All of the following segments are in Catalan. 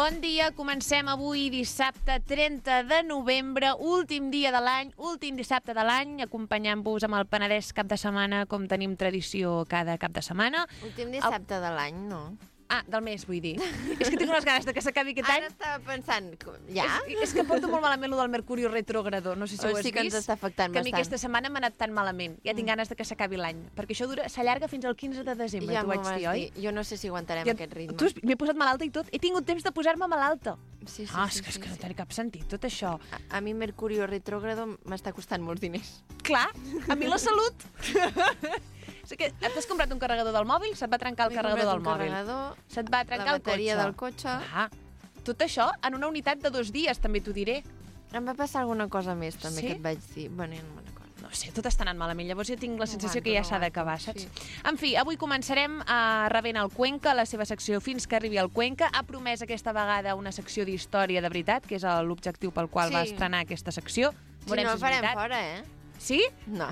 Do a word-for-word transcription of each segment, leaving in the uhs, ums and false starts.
Bon dia, comencem avui dissabte trenta de novembre, últim dia de l'any, últim dissabte de l'any, acompanyant-vos amb el Penedès cap de setmana, com tenim tradició cada cap de setmana. Últim dissabte el... de l'any, no? Ah, del mes, vull dir. És que tinc unes ganes de que s'acabi aquest any. Ara estava pensant, ja? És, és que porto molt malament lo del Mercuri retrògrado, no sé si o ho has sí que vist. ens està afectant que a mi bastant. aquesta setmana m'ha anat tan malament. Ja tinc mm. ganes de que s'acabi l'any, perquè això dura s'allarga fins al quinze de desembre, ja t'ho vaig dir, oi? Jo no sé si aguantarem ja, aquest ritme. Tu m'he posat malalta i tot. He tingut temps de posar-me malalta. Sí, sí, ah, sí, és que, sí, és que sí. no té cap sentit, tot això. A, a mi Mercurio retrògrado m'està costant molts diners. Clar, a mi la salut. O sigui, t'has comprat un carregador del mòbil, se't va trencar el carregador del mòbil. Se't va trencar el cotxe. La bateria del cotxe. Ah, tot això en una unitat de dos dies, també t'ho diré. Em va passar alguna cosa més, també, sí? que et vaig dir. Bueno, no me'n recordo. No sé, tot està anant malament. Llavors jo tinc la sensació no que ja no s'ha d'acabar, saps? Sí. En fi, avui començarem a rebent el Cuenca, la seva secció Fins que arribi el Cuenca. Ha promès aquesta vegada una secció d'història de veritat, que és l'objectiu pel qual sí. va estrenar aquesta secció. Si no, el farem fora, eh? Sí? No.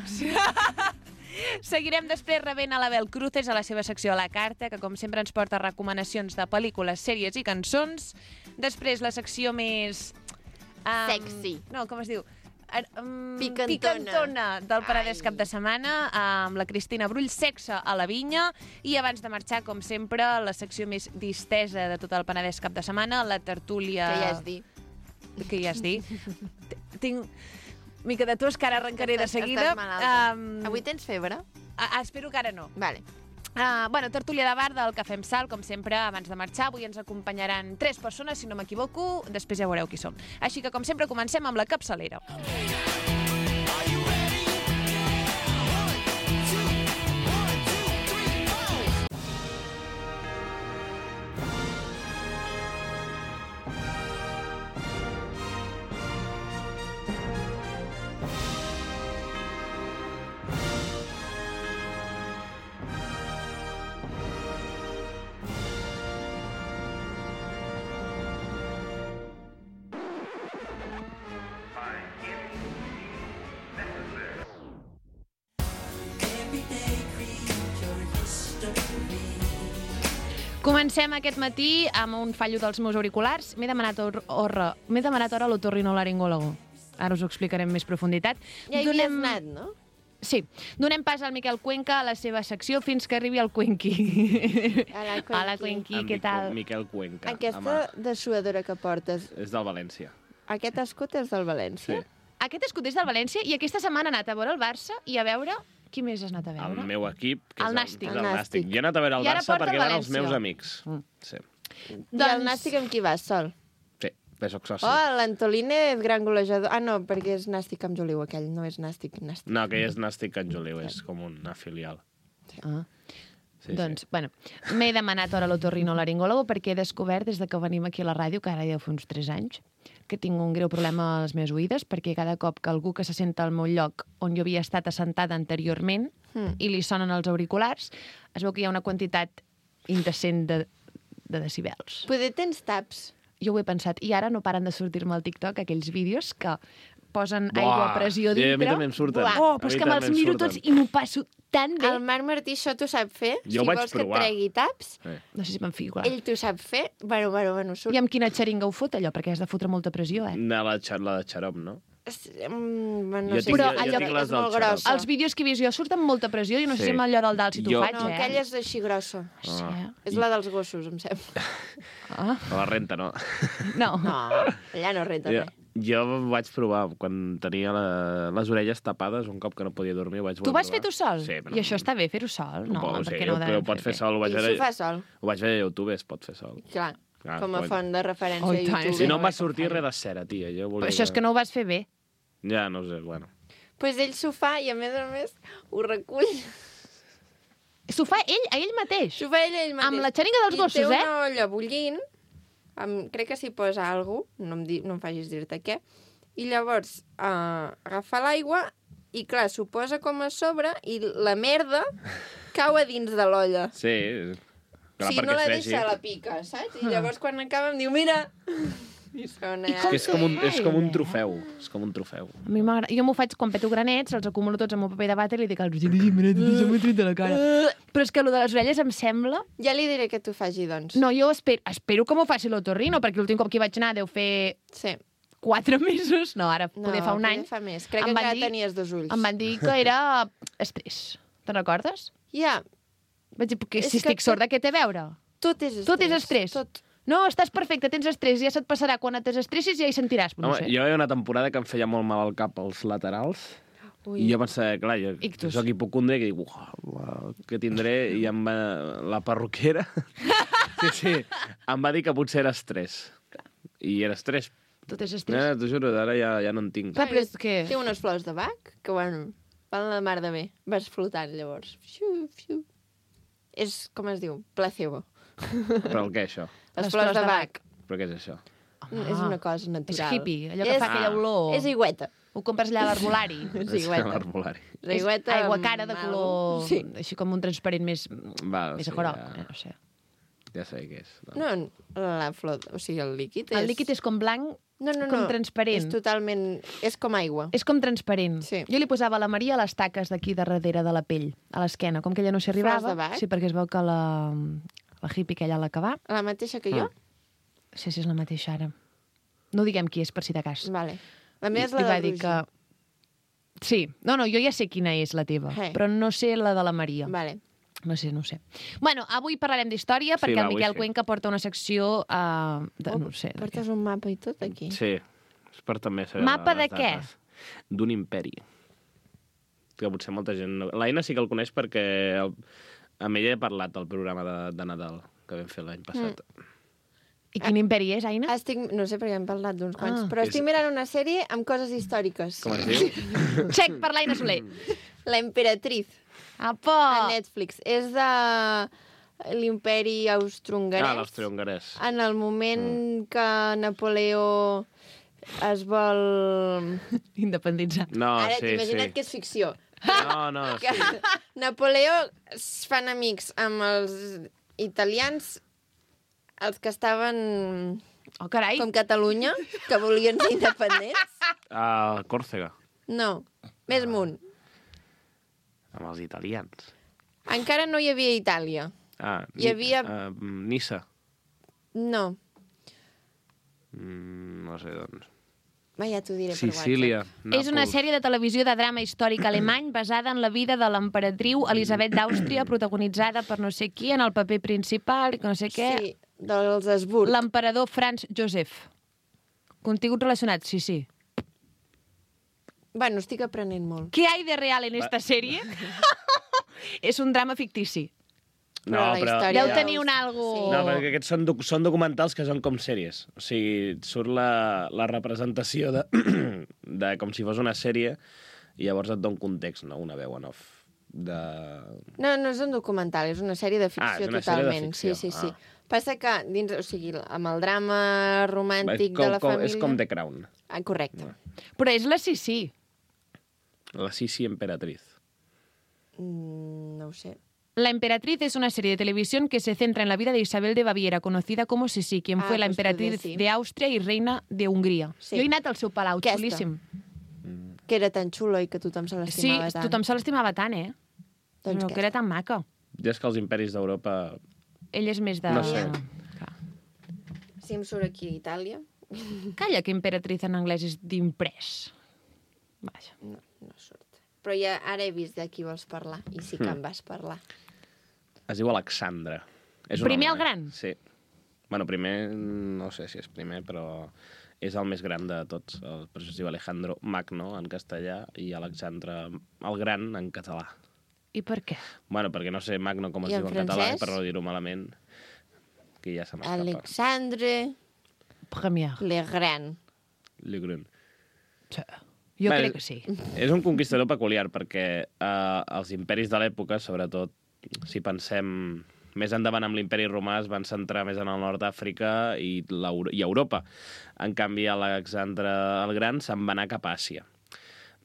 Seguirem després rebent a l'Abel Cruces a la seva secció a la carta, que com sempre ens porta recomanacions de pel·lícules, sèries i cançons. Després la secció més... Um, Sexy. No, com es diu? Um, Picantona. Picantona del Penedès cap de setmana, amb la Cristina Brull, Sexe a la Vinya. I abans de marxar, com sempre, la secció més distesa de tot el Penedès cap de setmana, la tertúlia... Que ja has dit. Que ja has dit. Tinc... mica de tos, que ara arrencaré estàs, de seguida. Um... Avui tens febre? Ah, espero que ara no. Vale. Uh, bueno, tertúlia de bar del Cafè amb Sal, com sempre, abans de marxar. Avui ens acompanyaran tres persones, si no m'equivoco. Després ja veureu qui som. Així que, com sempre, comencem amb la capçalera. Comencem aquest matí amb un fallo dels meus auriculars. M'he demanat, or, or, m'he demanat hora a l'otorrinolaringòlogo. Ara us ho explicaré amb més profunditat. Ja hi havies anat, no? Sí. Donem pas al Miquel Cuenca a la seva secció fins que arribi el Cuenqui. Hola, Cuenqui. Hola, Cuenqui, què tal? Miquel Cuenca. Aquesta dessuadora que portes... És del València. Aquest escut és del València? Sí. Aquest escut és del València i aquesta setmana ha anat a veure el Barça i a veure... Qui més has anat a veure? El meu equip, que el és, Nàstic. el, és el Nàstic. Jo he anat a veure el Barça perquè van els meus amics. Mm. Sí. Doncs... I el Nàstic amb qui vas, sol? Sí, bé, soc soci. Oh, l'Antolín és gran golejador. Ah, no, perquè és Nàstic amb Joliu, aquell. No és Nàstic, Nàstic. No, aquell és Nàstic amb Joliu, és com una filial. Ah. Sí, doncs, sí. bueno, m'he demanat hora a l'otorrinolaringòlogo perquè he descobert des de que venim aquí a la ràdio, que ara ja fa uns tres anys, que tinc un greu problema a les meves oïdes, perquè cada cop que algú que se senta al meu lloc on jo havia estat assentada anteriorment mm. i li sonen els auriculars, es veu que hi ha una quantitat indecent de, de decibels. Poder tens taps. Jo ho he pensat, i ara no paren de sortir-me al TikTok aquells vídeos que posen Buah, aigua a pressió dintre. Sí, a mi també em surten. Buah. Oh, però és que me'ls miro tots i m'ho passo tan bé. El Marc Martí això t'ho sap fer? Jo si vaig vols provar. que et tregui taps, Sí. No sé si me'n fico. ell t'ho sap fer. Bueno, bueno, bueno, surt. I amb quina xeringa ho fot, allò? Perquè has de fotre molta pressió, eh? No, la, la de xarop, no? Mm, bueno, Jo no sé, tinc- però jo allò tinc les és del molt xarop. grossa. Els vídeos que he vist jo surten amb molta pressió i no sé Sí. si amb allò del dalt si t'ho Jo- faig, No, eh? aquella és així grossa. Sí, eh? És la dels gossos, em sembla. Ah. A la renta, no. No. No, allà no renta Jo, res. jo vaig provar, quan tenia la, les orelles tapades, un cop que no podia dormir, ho vaig Tu voler vas fer provar. tu sol? Sí, però I això està bé, fer-ho sol? No, Suposo, perquè sí, no ho però devem ho pot fer bé. sol, ho vaig I veure... s'ho fa sol. Ho vaig veure a YouTube, es pot fer sol. Clar, Clar, com a quan- font de referència Oh, a i tant, YouTube. Si no Sí, em va no, sortir com res de cera, tia. Jo volia... Però això és que no ho vas fer bé. Ja, no sé, bueno. Pues ell s'ho fa i, a més a més, ho recull. S'ho fa ell, a ell mateix. S'ho fa ell, ell mateix. Amb la xeringa dels gossos, I té eh? una olla bullint, amb, crec que s'hi posa alguna cosa, no, em di, no em facis dir-te què, i llavors uh, agafa l'aigua i, clar, s'ho posa com a sobre i la merda cau a dins de l'olla. Sí, clar, Si no perquè la es vegi. deixa, la pica, saps? I llavors, quan acaba, em diu, mira... Sona... I com És com, un, és com un Eh? trofeu. És com un trofeu. A mi m'agrada. Jo m'ho faig quan peto granets, els acumulo tots en un paper de vàter i li dic als ulls, se m'ho tret de la cara. Però és que el de les orelles em sembla... Ja li diré que t'ho faci, doncs. No, jo espero, espero que m'ho faci l'otorrino, perquè l'últim cop que hi vaig anar deu fer Sí. quatre mesos. No, ara No, poder fa un any. poder fa més. Crec Em que van encara dir- tenies dos ulls. Em van dir que era estrès. Te'n recordes? Ja, Vaig dir, que És si que estic sorda, què té a veure? tot és estrès. Tot és estrès. Tot. No, estàs perfecte, tens estrès, ja se't passarà. Quan et desestressis ja hi sentiràs, però no Home, sé. jo hi havia una temporada que em feia molt mal al cap als laterals. Ui. I jo pensava, clar, jo Ictus. soc hipocondre, que dic, uah, què tindré? I em va... la perruquera... sí, sí, em va dir que potser era estrès. I era estrès. Tot és Eh, estrès. T'ho juro, ara ja, ja no en tinc. Clar, però és que... Té unes flors de bac que, bueno, van la mar de bé. Vas flotant, llavors. Fiu, fiu. És, com es diu? Placebo. Però el què, això? Les, flors, de bac. Però què és això? Ah. És una cosa natural. És hippie, allò que fa aquella olor. És aigüeta. Ho compres allà a l'herbolari. És aigüeta. L'herbolari. És aigüeta És aigua amb cara de algo. color... Sí. Així com un transparent més, Va, més sí, groc. ja, Eh, no sé. ja sé què és. No, la flor... O sigui, el líquid és... El líquid és com blanc, no, no, no. com transparent. És totalment... És com aigua. és com transparent. Sí. Jo li posava a la Maria a les taques d'aquí de darrere de la pell, a l'esquena, com que ella no s'hi Flors arribava. de bac? Sí, perquè es veu que la, la hippie aquella a l'acabar... La mateixa que jo? Ah. Sí, sí, és la mateixa ara. No diguem qui és, per si de cas. Vale. La meva és I la va de dir Roger. que... Sí, no, no, jo ja sé quina és la teva, Hey. però no sé la de la Maria. Vale. No sé, no sé. Bueno, avui parlarem d'història Sí, perquè va, el avui Miquel sí. Cuenca porta una secció uh, de, Oh, no ho sé, de què. Portes un mapa i tot aquí. Sí, és per també saber Mapa les de què? dates. D'un imperi. Que potser molta gent... No... L'Aina sí que el coneix perquè el... amb ella he parlat del programa de, de Nadal que vam fer l'any passat. Mm. I quin imperi és, Aina? Estic, no sé perquè hem parlat d'uns quants, Ah. però És- estic mirant una sèrie amb coses històriques. Com es diu? Check per l'Aina Soler. La Emperatriz, Apa! a Netflix. És de l'imperi austrohongarès. Ah, l'austro-hongarès. En el moment que Napoleó es vol... Independitzar. No, Ara sí, t'imagina't sí. que és ficció. No, no, Que sí. Napoleó es fan amics amb els italians, els que estaven Oh, carai. com Catalunya, que volien ser independents. A Còrsega, No, més amunt. amb els italians. Encara no hi havia Itàlia. Ah, Hi havia- Uh, Nissa. No. Mm, no sé, doncs. Va, ja t'ho diré per Sicília, WhatsApp. És una Nàpols. sèrie de televisió de drama històric alemany basada en la vida de l'emperatriu Elisabet d'Àustria, protagonitzada per no sé qui en el paper principal, i que no sé què. Sí, dels Habsburg. L'emperador Franz Josef. Contingut relacionat, sí, sí. Bueno, estic aprenent molt. ¿Qué hay de real en esta sèrie? És un drama fictici. Però la història Deu Ja. tenir un algo... Sí. No, perquè aquests són, doc són documentals que són com sèries. O sigui, surt la, la representació de, de com si fos una sèrie i llavors et dona un context, no? Una veu en off. De... No, no és un documental, és una sèrie de ficció Ah, és una sèrie de totalment. ficció, Sí, sí, sí. ah. Passa que, dins, o sigui, amb el drama romàntic com, de la com, família... És com The Crown. Ah, correcte. Però és la Sissi. La Sisi Emperatriz. Mm, no ho sé. La Emperatriz es una serie de televisión que se centra en la vida de Isabel de Baviera, conocida como Sisi, quien Ah, fue la pues emperatriz podria, sí. de Austria y reina de Hongria. Sí. Jo he anat al seu palau, Aquesta. xulíssim. Que era tan xulo i que tothom se Sí, l'estimava tant. tothom se l'estimava tant, eh? Doncs no, què? que era tan maca. Ja és que els imperis d'Europa... Ell és més de... No sé. Clar. Si em surt aquí Itàlia... Calla, que emperatriz en anglès és d'imprès. Vaja. No, no surt. Però ja ara he vist de qui vols parlar, i sí que em vas parlar. Es diu Alexandre. És un Primer home, el gran? Eh? Sí. Bueno, primer, no sé si és primer, però és el més gran de tots. El, per això es diu Alejandro Magno, en castellà, i Alexandre el Gran, en català. I per què? Bueno, perquè no sé Magno com es I en diu en català, francès? per no dir-ho malament, que ja se m'escapa. Alexandre Premier. le Grand. Le Grand. Sí. Jo Bé, crec que sí. És un conquistador peculiar perquè eh, els imperis de l'època, sobretot si pensem més endavant amb l'imperi romà, es van centrar més en el nord d'Àfrica i, l'Euro- i Europa. En canvi, Alexandre el Gran se'n va anar cap a Àsia.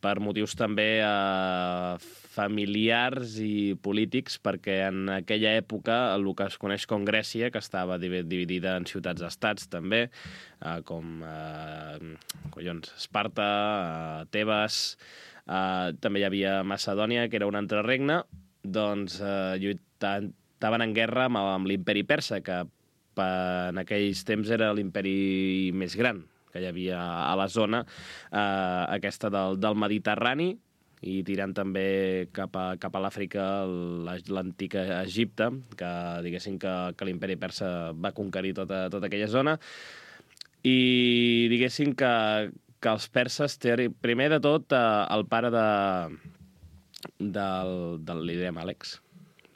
Per motius també eh, familiars i polítics, perquè en aquella època el que es coneix com Grècia, que estava dividida en ciutats-estats també, eh, com eh, collons, Esparta, eh, Tebes, eh, també hi havia Macedònia, que era un altre regne, doncs eh, lluitaven, estaven en guerra amb, amb l'imperi persa, que per, en aquells temps era l'imperi més gran que hi havia a la zona, eh, aquesta del, del Mediterrani, i tirant també cap a, cap a l'Àfrica, l'antic Egipte, que diguéssim que, que l'imperi persa va conquerir tota, tota aquella zona, i diguéssim que, que els perses, primer de tot, eh, el pare de, del, del li direm Àlex,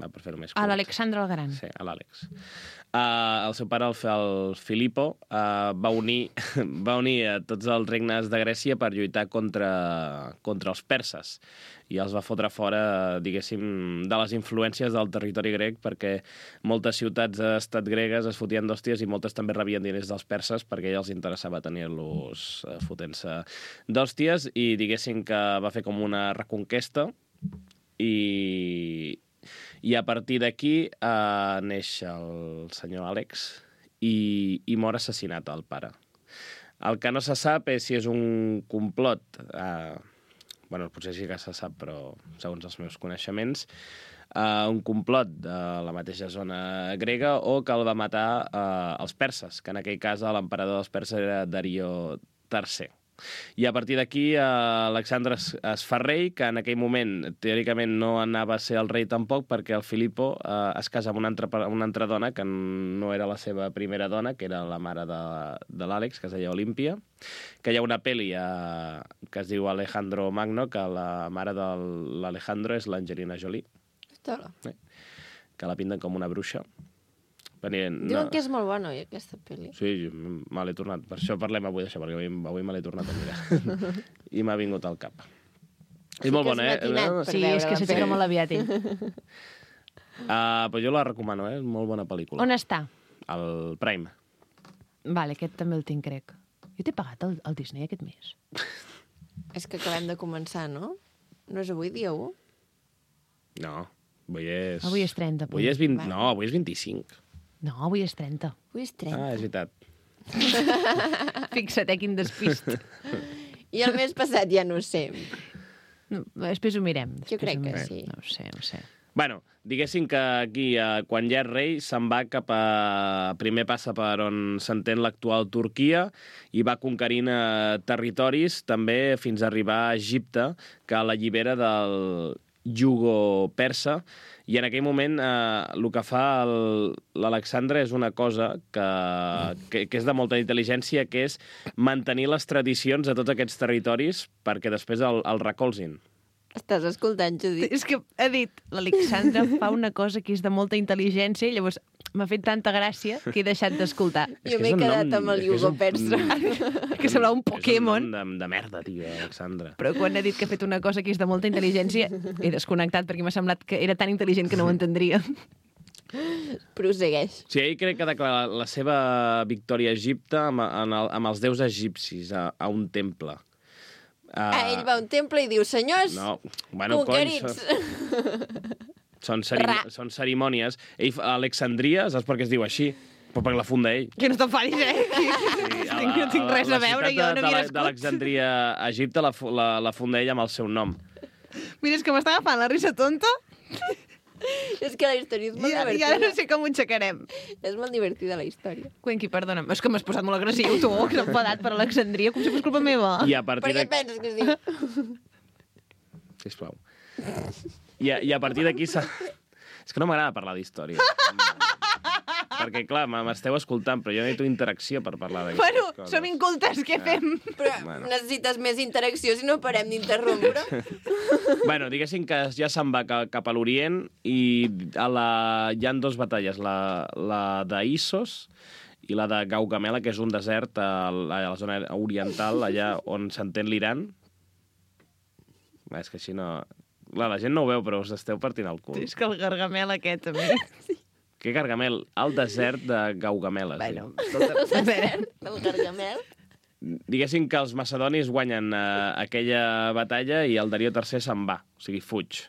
va, per fer-ho més curt. A l'Alexandre el Gran. Sí, a l'Àlex. Uh, el seu pare, el, el Filipo, uh, va unir, va unir a tots els regnes de Grècia per lluitar contra, contra els perses, i els va fotre fora, diguéssim, de les influències del territori grec, perquè moltes ciutats estat gregues es fotien d'hòsties i moltes també rebien diners dels perses perquè ja els interessava tenir-los uh, fotent-se d'hòsties, i diguéssim que va fer com una reconquesta, i... I a partir d'aquí eh, neix el senyor Àlex i, i mor assassinat el pare. El que no se sap és si és un complot, eh, bueno, potser sí que se sap, però segons els meus coneixements, eh, un complot de la mateixa zona grega, o que el va matar eh, els perses, que en aquell cas l'emperador dels perses era Darío tercer. I a partir d'aquí eh, Alexandre es, es fa rei, que en aquell moment teòricament no anava a ser el rei tampoc, perquè el Filipo eh, es casa amb una altra, una altra dona que no era la seva primera dona, que era la mare de, de l'Àlex, que es deia Olímpia, que hi ha una pel·li eh, que es diu Alejandro Magno, que la mare de l'Alejandro és l'Angelina Jolie, eh, que la pinten com una bruixa. Venien, Diuen no. que és molt bona, oi, aquesta pel·li. Sí, me l'he tornat. Per això parlem avui d'això, perquè avui, avui me l'he tornat a mirar. I m'ha vingut al cap. Sí, és molt bona, és eh? Sí, és que s'aixeca molt aviat, ell. Uh, però jo la recomano, eh? És molt bona pel·lícula. On està? Al Prime. Vale, aquest també el tinc, crec. Jo t'he pagat el, el Disney aquest mes. És que acabem de començar, no? No és avui dia u? No, avui és... Avui és trenta. Avui és vint... No, avui és vint-i-cinc. No, avui és trenta. Avui és trenta. Ah, és veritat. Fixa't, eh, quin despist. I el mes passat ja no ho sé. No, després ho mirem. Jo crec que sí. No ho sé, no ho sé. Bueno, diguéssim que aquí, eh, quan ja és rei, se'n va cap a... Primer passa per on s'entén l'actual Turquia i va conquerint eh, territoris, també fins a arribar a Egipte, que l'allibera del jugo persa, i en aquell moment eh, el que fa l'Alexandre és una cosa que, que, que és de molta intel·ligència, que és mantenir les tradicions de tots aquests territoris perquè després el, el recolzin. Estàs escoltant, Judit? És que ha dit, l'Alexandre fa una cosa que és de molta intel·ligència i llavors m'ha fet tanta gràcia que he deixat d'escoltar. Jo m'he quedat amb el jugo persa. Que semblava un Pokémon. És un nom de, de merda, tio, Alexandre. Però quan ha dit que ha fet una cosa que és de molta intel·ligència, he desconnectat perquè m'ha semblat que era tan intel·ligent que no ho entendria. Prosegueix. Sí, ell crec que declara la seva victòria a Egipte amb, amb, el, amb els déus egipcis a, a un temple. Uh, ah, ell va a un temple i diu, senyors, no, bueno, conquerits. Cony, són, cerim són cerimònies. Ell, Alexandria, saps per què es diu així? Però perquè la funda ell. Que no t'enfadis, eh? Sí, no tinc res a veure, jo no havia nascut. D'Alexandria a Egipte la, la, la funda ell amb el seu nom. Mira, és que m'està agafant la risa tonta. És que la història és molt ja, divertida. Ja no sé com ho aixecarem. És molt divertida, la història. Cuenqui, perdona'm, és que m'has posat molt agressiu, tu, que s'ha enfadat per Alexandria, com si fos culpa meva. I a partir per què de... penses que es diu? Sisplau. I a, i a partir d'aquí... Sa... És que no m'agrada parlar d'història. Perquè, clar, m'esteu escoltant, però jo necessito interacció per parlar d'aquestes bueno, coses. Bueno, som incultes, què fem? Però Bueno. necessites més interacció si no parem d'interrompre. Bueno, diguéssim que ja se'n va cap, cap a l'Orient i a la... hi ha dues batalles, la, la d'Issos i la de Gaugamela, que és un desert a la, a la zona oriental, allà on s'entén l'Iran. Va, és que així no... Clar, la gent no ho veu, però us esteu partint el cul. És que el gargamel aquest, també. Sí. Què Gargamel? El desert de Gaugamela. Bueno, sí. escolta, a veure... El gargamel. Diguéssim que els macedonis guanyen eh, aquella batalla i el Darío tercer se'n va, o sigui, fuig.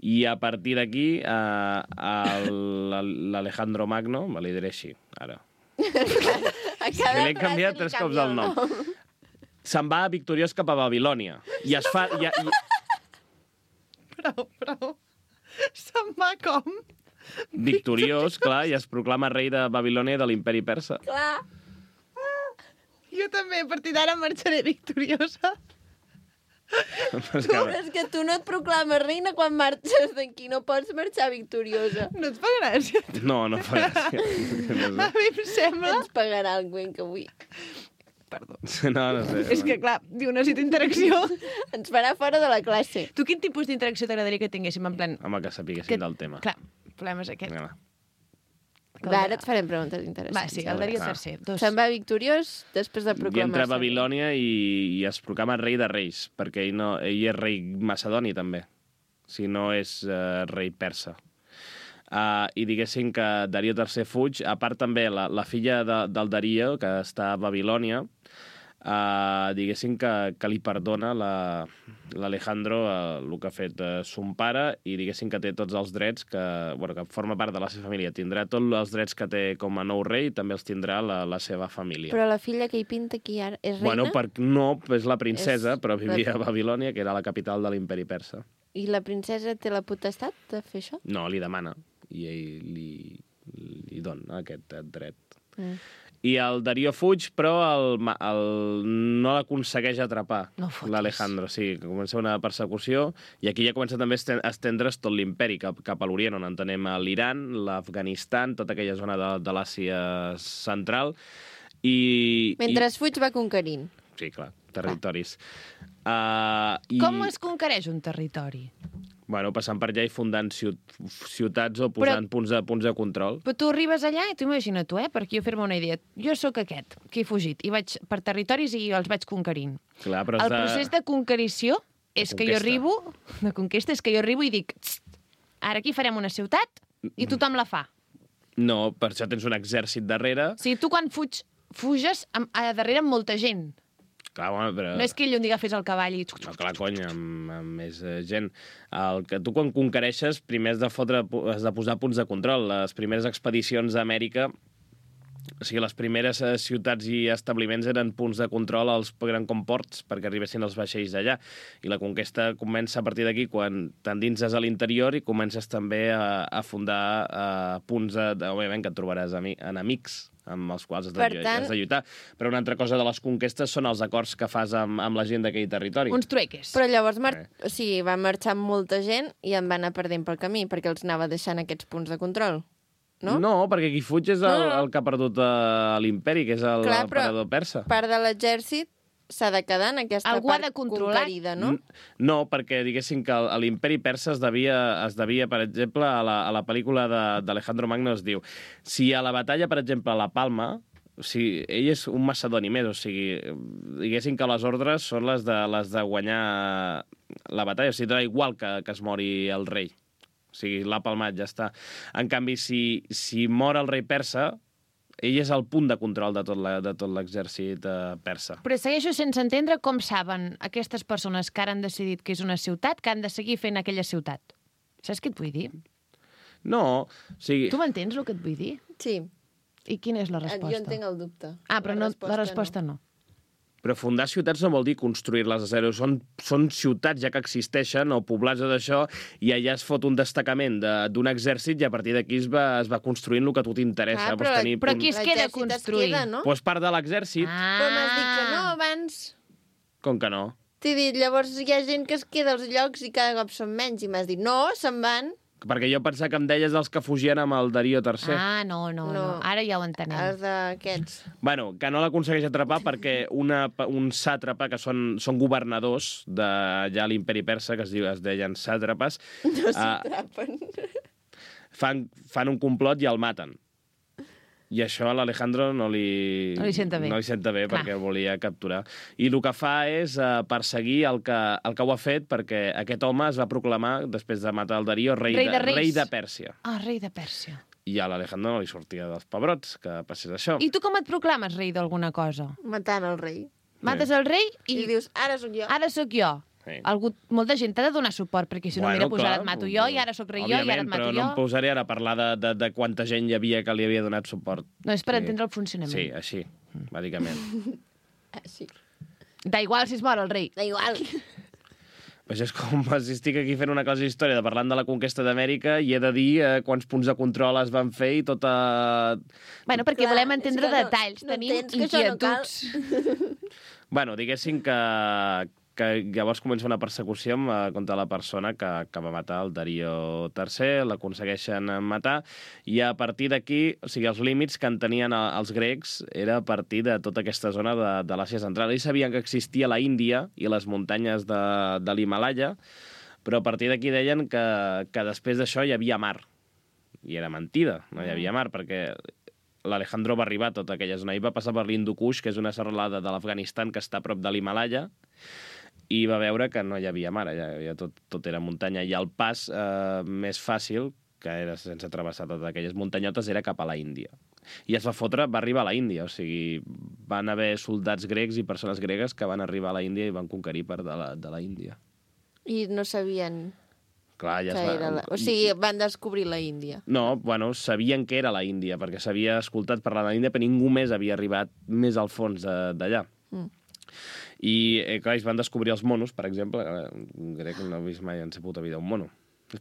I a partir d'aquí, eh, l'Alejandro Magno, me li diré així, ara. A cada L'he canviat tres cops el nom. Se'n va victoriós cap a Babilònia. I es fa... I, i... Prou, prou. Se'n va com? Victoriós, clar, i es proclama rei de Babilònia i de l'imperi persa. Clar. Jo també, a partir d'ara marxaré victoriosa. Però és Tu, que- és que tu no et proclames reina quan marxes d'aquí, no pots marxar victoriosa. No et fa gràcia? No, no fa gràcia. A mi em sembla... Ens pagarà el Gwen que avui. Perdó. No, no sé. És que, clar, diu, necessito interacció. Ens farà fora de la classe. Tu quin tipus d'interacció t'agradaria que tinguéssim en plan... Home, que sapiguéssim del tema. Clar, el problema és aquest. Vinga, va. Va, ara et farem preguntes interessants. Va, sí, el Darío Ah. tercer. Dos. Se'n va victoriós després de I proclamar-se. entra a Babilònia i, i es proclama rei de reis, perquè ell, no, ell és rei macedoni, també, si no és uh, rei persa. Uh, I diguéssim que Darío tercer fuig, a part també la, la filla de, del Darío, que està a Babilònia, uh, diguéssim que, que li perdona l'Alejandro la, uh, el que ha fet uh, son pare, i diguéssim que té tots els drets, que, bueno, que forma part de la seva família. Tindrà tots els drets que té com a nou rei, i també els tindrà la, la seva família. Però la filla que hi pinta aquí ara és reina? Bueno, per, no, és la princesa, És però vivia la- a Babilònia, que era la capital de l'imperi persa. I la princesa té la potestat de fer això? No, li demana, i ell li, li dona aquest dret. Mm. I el Darío fuig, però el, ma- el, no l'aconsegueix atrapar, No fotis. l'Alejandro. Sí, que comença una persecució, i aquí ja comença també a esten- a estendre's tot l'imperi cap, cap a l'Orient, on entenem l'Iran, l'Afganistan, tota aquella zona de, de l'Àsia central. I, Mentre i, fuig va conquerint. sí, clar, territoris. Uh, i... Com es conquereix un territori? Bueno, passant per allà i fundant ciut ciutats o posant Però- punts, de, punts de control. Però tu arribes allà i tu imagina tu, eh? Perquè jo fer-me una idea. Jo sóc aquest, que he fugit, i vaig per territoris i els vaig conquerint. Clar, però has El procés de conquerició és que jo conquesta. arribo, de conquesta, és que jo arribo i dic, "Txt, ara aquí farem una ciutat i tothom la fa. No, per això tens un exèrcit darrere. O sigui, tu quan fuig, fuges amb, a darrere amb molta gent. Clar, bueno, però... No és que ell un dia agafés el cavall i... No, clar, cony, amb, amb més eh, gent. El que tu quan conquereixes, primer has de, fotre, has de posar punts de control. Les primeres expedicions a Amèrica, o sigui, les primeres eh, ciutats i establiments eren punts de control als grans comports perquè arribessin els vaixells d'allà. I la conquesta comença a partir d'aquí, quan t'endinses a l'interior i comences també a, a fundar eh, punts, de, de, òbviament, que et trobaràs ami, enemics amb els quals has de, Per tant- has de lluitar. Però una altra cosa de les conquestes són els acords que fas amb, amb la gent d'aquell territori. Uns trueques. Però llavors mar... Eh. o sigui, va marxar amb molta gent i en va anar perdent pel camí, perquè els anava deixant aquests punts de control. No? No, perquè qui fuig és el, No, no, no. el que ha perdut uh, l'imperi, que és el Clar, però- emperador persa. Part de l'exèrcit s'ha de quedar en aquesta Algú ha part de controlar. conquerida, no? N- No, perquè diguéssim que el- l'imperi persa es devia, es devia, per exemple, a la, a la pel·lícula de- d'Alejandro Magno es diu, si a la batalla, per exemple, a la Palma, o sigui, ell és un macedoni més, o sigui, diguéssim que les ordres són les de, les de guanyar la batalla, o sigui, dona igual que, que es mori el rei. O sigui, l'ha palmat, ja està. En canvi, si, si mor el rei persa, ell és el punt de control de tot la- de tot l'exèrcit eh, persa. Però segueixo sense entendre com saben aquestes persones que ara han decidit que és una ciutat que han de seguir fent aquella ciutat. Saps què et vull dir? No, o sigui... Tu m'entens el que et vull dir? Sí. I quina és la resposta? Jo entenc el dubte. Ah, però no, la resposta no. Però fundar ciutats no vol dir construir-les a zero. Són, són ciutats ja que existeixen o poblats o d'això, i allà es fot un destacament de- d'un exèrcit i a partir d'aquí es, va, es va construint el que a tu t'interessa. Ah, Pots però- tenir però punt- aquí es queda L'exèrcit es construir. queda, no? Pues part de l'exèrcit, Ah. Però m'has dit que no abans. com que no? T'he dit, llavors hi ha gent que es queda als llocs i cada cop són menys. I m'has dit, no, se'n van. Perquè jo pensava que em deies els que fugien amb el Darío tercer. Ah, no, no, no, No. Ara ja ho entenem. Els d'aquests. Bueno, que no l'aconsegueix atrapar perquè una, un sàtrapa, que són, són governadors de ja l'imperi persa, que es, diu, es deien sàtrapes, No ah, s'atrapen. fan, fan un complot i el maten. I això a l'Alejandro no li... No li senta bé. No li senta bé, Clar. perquè el volia capturar. I el que fa és uh, perseguir el que, el que ho ha fet, perquè aquest home es va proclamar, després de matar el Darío, rei, Rei de de, reis. rei de Pèrsia. Ah, rei de Pèrsia. I a l'Alejandro no li sortia dels pebrots que passés això. I tu com et proclames rei d'alguna cosa? Matant el rei. Mates el rei I, i... I dius, ara sóc jo. Ara sóc jo. Sí. Algú, molta gent t'ha de donar suport, perquè si no, Bueno, mira, pues clar, ara et mato jo, i ara sóc rei jo, i ara et mato però jo. no em posaré ara a parlar de, de, de quanta gent hi havia que li havia donat suport. No, és per Sí. entendre el funcionament. Sí, així, bàsicament. Ah, sí. Da igual si es mor el rei. Da igual. Pues és com si estic aquí fent una classe d'història de parlant de la conquesta d'Amèrica i he de dir eh, quants punts de control es van fer i tota... Bueno, perquè Clar, volem és entendre que no- detalls. no Tenim entens que això no cal. inquietuds. Bueno, diguéssim que, que llavors comença una persecució amb, eh, contra la persona que, que va matar el Darío tercer, l'aconsegueixen matar, i a partir d'aquí, o sigui, els límits que en tenien eh, els grecs era a partir de tota aquesta zona de, de l'Àsia Central. Ells sabien que existia la Índia i les muntanyes de, de l'Himàlaia, però a partir d'aquí deien que, que després d'això hi havia mar. I era mentida, no hi havia mar, perquè l'Alejandro va arribar a tota aquella zona i va passar per l'Hindu Kush, que és una serralada de l'Afganistan que està a prop de l'Himàlaia, i va veure que no hi havia mar, allà hi havia tot, tot era muntanya, i el pas eh, més fàcil, que era sense travessar totes aquelles muntanyotes, era cap a la Índia. I es va fotre, va arribar a la Índia, o sigui, van haver soldats grecs i persones gregues que van arribar a la Índia i van conquerir part de la, de la Índia. I no sabien Clar, ja que es va... era la... O sigui, van descobrir la Índia. No, bueno, sabien que era la Índia, perquè s'havia escoltat parlar de la Índia, però ningú més havia arribat més al fons de- d'allà. Mm. I, eh, clar, ells van descobrir els monos, per exemple. eh, Un grec no ha vist mai en sa puta vida un mono.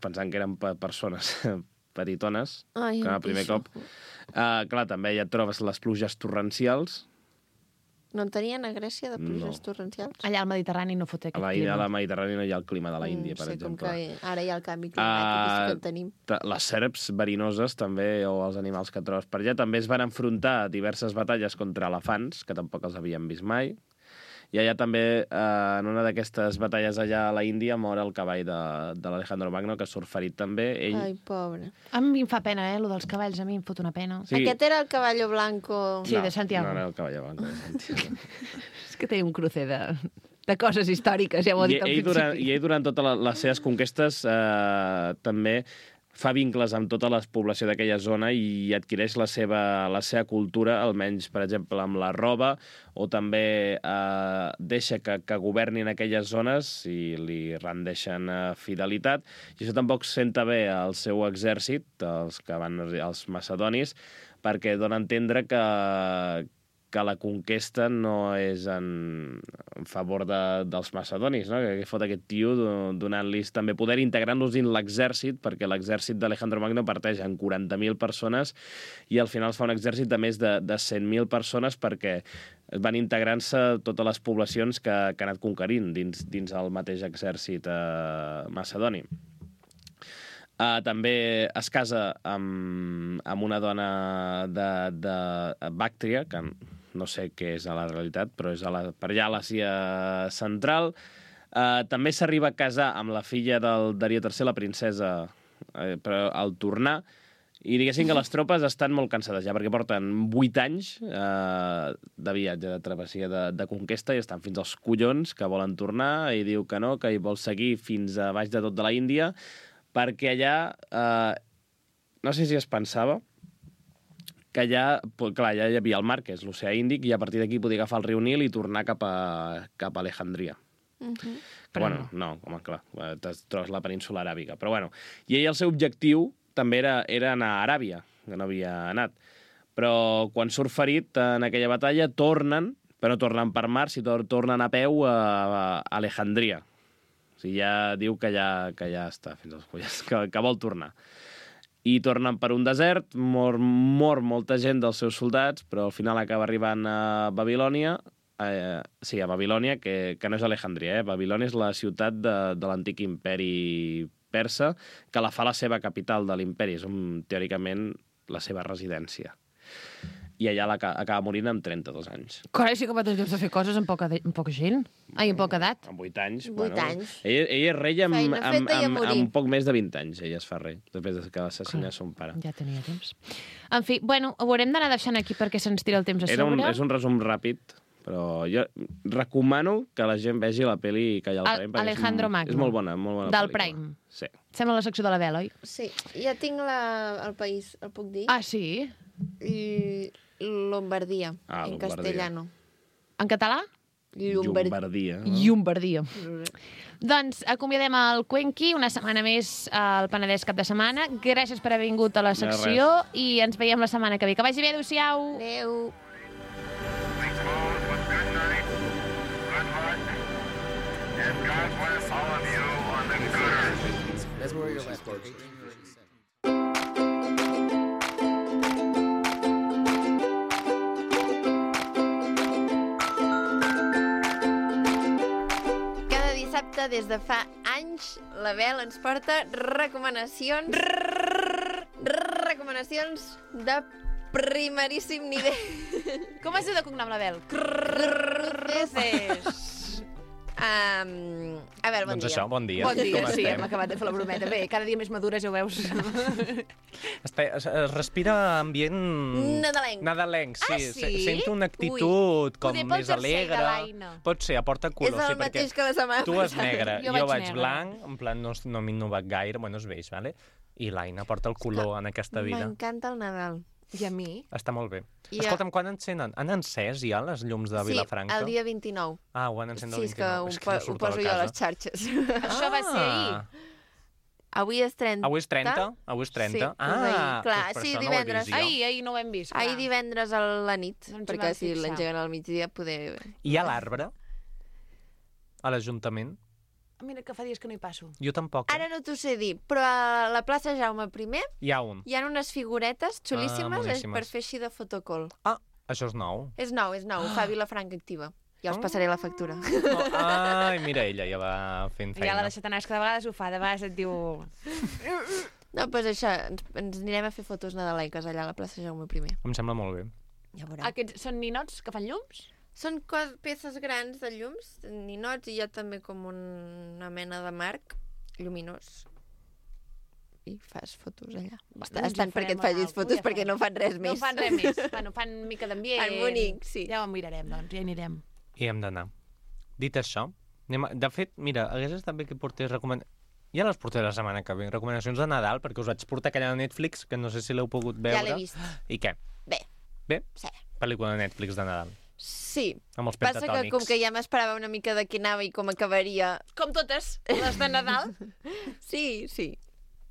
Pensant que eren pe- persones petitones, Ai, que em el primer pixo. cop. Uh, clar, també ja et trobes les pluges torrencials. No en tenien a Grècia de pluges No. torrencials? Allà al Mediterrani no fot A aquest la, clima. a la Mediterrània no hi ha el clima de la Índia, Mm, per sí, com exemple. que ara hi ha el canvi climàtic, uh, sí que Ah, el tenim. Ta- Les serps verinoses també, o els animals que trobes per allà, també es van enfrontar a diverses batalles contra elefants, que tampoc els havien vist mai. I allà també, eh, en una d'aquestes batalles allà a la Índia, mor el cavall de, de l'Alejandro Magno, que surt ferit també. Ell... Ai, pobre. A mi em fa pena, eh, lo dels cavalls, a mi em fot una pena. Sí. Aquest era el caballo blanco... Sí, de Santiago. No, no, el cavall blanc de Santiago. És que té un crucer de, de coses històriques, ja ho he I dit al ell, principi. durant, I ell, durant totes la- les seves conquestes, eh, també fa vincles amb tota la població d'aquella zona i adquireix la seva, la seva cultura, almenys, per exemple, amb la roba, o també eh, deixa que, que governin aquelles zones i li rendeixen eh, fidelitat. I això tampoc senta bé al seu exèrcit, els que van, els macedonis, perquè dona a entendre que, que la conquesta no és en, en favor de, dels macedonis, no? Que fot aquest tio do- donant-los també poder, integrant-los dins l'exèrcit, perquè l'exèrcit d'Alejandro Magno parteix en quaranta mil persones i al final es fa un exèrcit de més de, de cent mil persones perquè van integrant-se totes les poblacions que, que ha anat conquerint dins, dins el mateix exèrcit eh, macedoni. Uh, també es casa amb, amb una dona de, de Bàctria, que no sé què és a la realitat, però és a la, per allà a l'Àsia Central. Uh, també s'arriba a casar amb la filla del Darío tercer, la princesa, uh, però al tornar, i diguéssim que les tropes estan molt cansades ja, perquè porten vuit anys eh, de viatge, de travessia, de, de conquesta, i estan fins als collons que volen tornar, i diu que no, que hi vol seguir fins a baix de tot de la Índia, perquè allà, eh, no sé si es pensava, que allà, clar, allà hi havia el mar, que és l'oceà Índic, i a partir d'aquí podia agafar el riu Nil i tornar cap a, cap a Alejandria. Uh -huh. Però bueno, no, home, clar, te trobes la península aràbiga. Però bueno, i ell el seu objectiu també era, era anar a Aràbia, que no havia anat. Però quan surt ferit en aquella batalla, tornen, però no tornen per mar, sinó tornen a peu a, a Alejandria. O sigui, ja diu que ja, que ja està fins als collons, que, que vol tornar. I tornen per un desert, mor, mor molta gent dels seus soldats, però al final acaba arribant a Babilònia, eh, sí, a Babilònia, que, que no és Alejandria, eh? Babilònia és la ciutat de, de l'antic imperi persa, que la fa la seva capital de l'imperi, és un, teòricament la seva residència. I allà la, acaba morint amb trenta-dos anys. Carai, sí que va tenir temps de fer coses amb poca, de, amb poca gent. Ai, amb poca edat. Amb vuit anys. Vuit bueno, anys. Ell, ell és rei amb, Feina amb, feta i a amb, morir. amb poc més de vint anys. Ella es fa rei, després de que assassina son pare. Ja tenia temps. En fi, bueno, ho haurem d'anar deixant aquí perquè se'ns tira el temps a Era un, sobre. és un resum ràpid, però jo recomano que la gent vegi la pel·li que hi ha al Al- Prime. perquè Alejandro és, Magno. És molt bona, molt bona Del pel·lícula. Prime. Sí. Sembla la secció de la Bel, oi? Sí, ja tinc la, el país, el puc dir? Ah, sí? I Lombardia, Ah, en Lombardia. castellano. En català? Llombard... Llombardia. No? Llombardia. Doncs acomiadem el Cuenqui, una setmana més al Penedès cap de setmana. Gràcies per haver vingut a la secció i ens veiem la setmana que ve. Que vagi bé, adéu-siau. Adéu. That's where you're left. Dissabte, des de fa anys, la Bel ens porta recomanacions... Recomanacions de primeríssim nivell. Com es diu de cognom, la Bel? Cruceses. Um, a veure, bon doncs dia. això, bon dia. Bon dia, Com sí, estem? hem acabat de fer la brometa. Bé, cada dia més madures, ja ho veus. Este, es, es respira ambient... Nadalenc. Nadalenc, sí. Ah, sí? Se- Sento una actitud com Poder pel més jersei de alegre. l'Aina. Pot ser, aporta És color, el sí, perquè mateix que la setmana tu és passada. negre, Jo jo, vaig vaig negre. blanc, en plan no, no m'he innovat gaire, bueno, es veig, vale? I l'Aina porta el color en aquesta vida. M'encanta el Nadal. I a mi? Està molt bé. I Escolta'm, quan encenen? Han encès ja les llums de Vilafranca? Sí, el dia vint-i-nou. Ah, ho han encès el Sí, és que vint-i-nou. ho, És que po no ho surto poso de jo a casa. les xarxes. Això va ser ahir. Avui és trenta. Avui és trenta? Avui és trenta? Sí, és ah, ahir. Clar, doncs per sí, això divendres. No ho he vist jo. Ahir, ahir no ho hem vist. clar. Ahir divendres a la nit, No ens hi perquè vam si fixar. l'engeguen al migdia poder... Hi ha l'arbre? A l'Ajuntament? Mira que fa dies que no hi passo. Jo tampoc. Ara no t'ho sé dir, però a la plaça Jaume primer Hi ha un. hi ha unes figuretes xulíssimes Ah, és moníssimes. per fer així de fotocol. Ah, això és nou. És nou, és nou, ho fa Vilafranca Activa. Ja us Ah. passaré la factura. Oh, ai, mira, ella ja va fent Ja feina. l'ha deixat anar, és que de vegades ho fa, de vegades et diu... No, doncs això, ens, ens anirem a fer fotos nadalenques allà a la plaça Jaume primer. Em sembla molt bé. Ja veurem. Aquests són ninots que fan llums? Són cos, peces grans de llums, ninots, i hi ha també com una mena de marc lluminós. I fas fotos allà. Va, Està, doncs estan ja perquè et farem facis alguna fotos cosa, ja perquè farem. no fan res No més. fan res més. Bueno, fan mica d'ambient. Fan bonic, sí. Ja ho mirarem, doncs, ja hi anirem. I hem d'anar. Dit això, anem a... de fet, mira, hagués estat bé que portés recoman... Ja les portaré la setmana que ve, recomanacions de Nadal, perquè us vaig portar aquella de Netflix, que no sé si l'heu pogut veure. Ja l'he vist. I què? Bé, Bé? sí. Pel·lícula de Netflix de Nadal. Sí. Amb els Passa que pentatònics. com que ja m'esperava una mica de què anava i com acabaria... Com totes, les de Nadal, Sí, sí,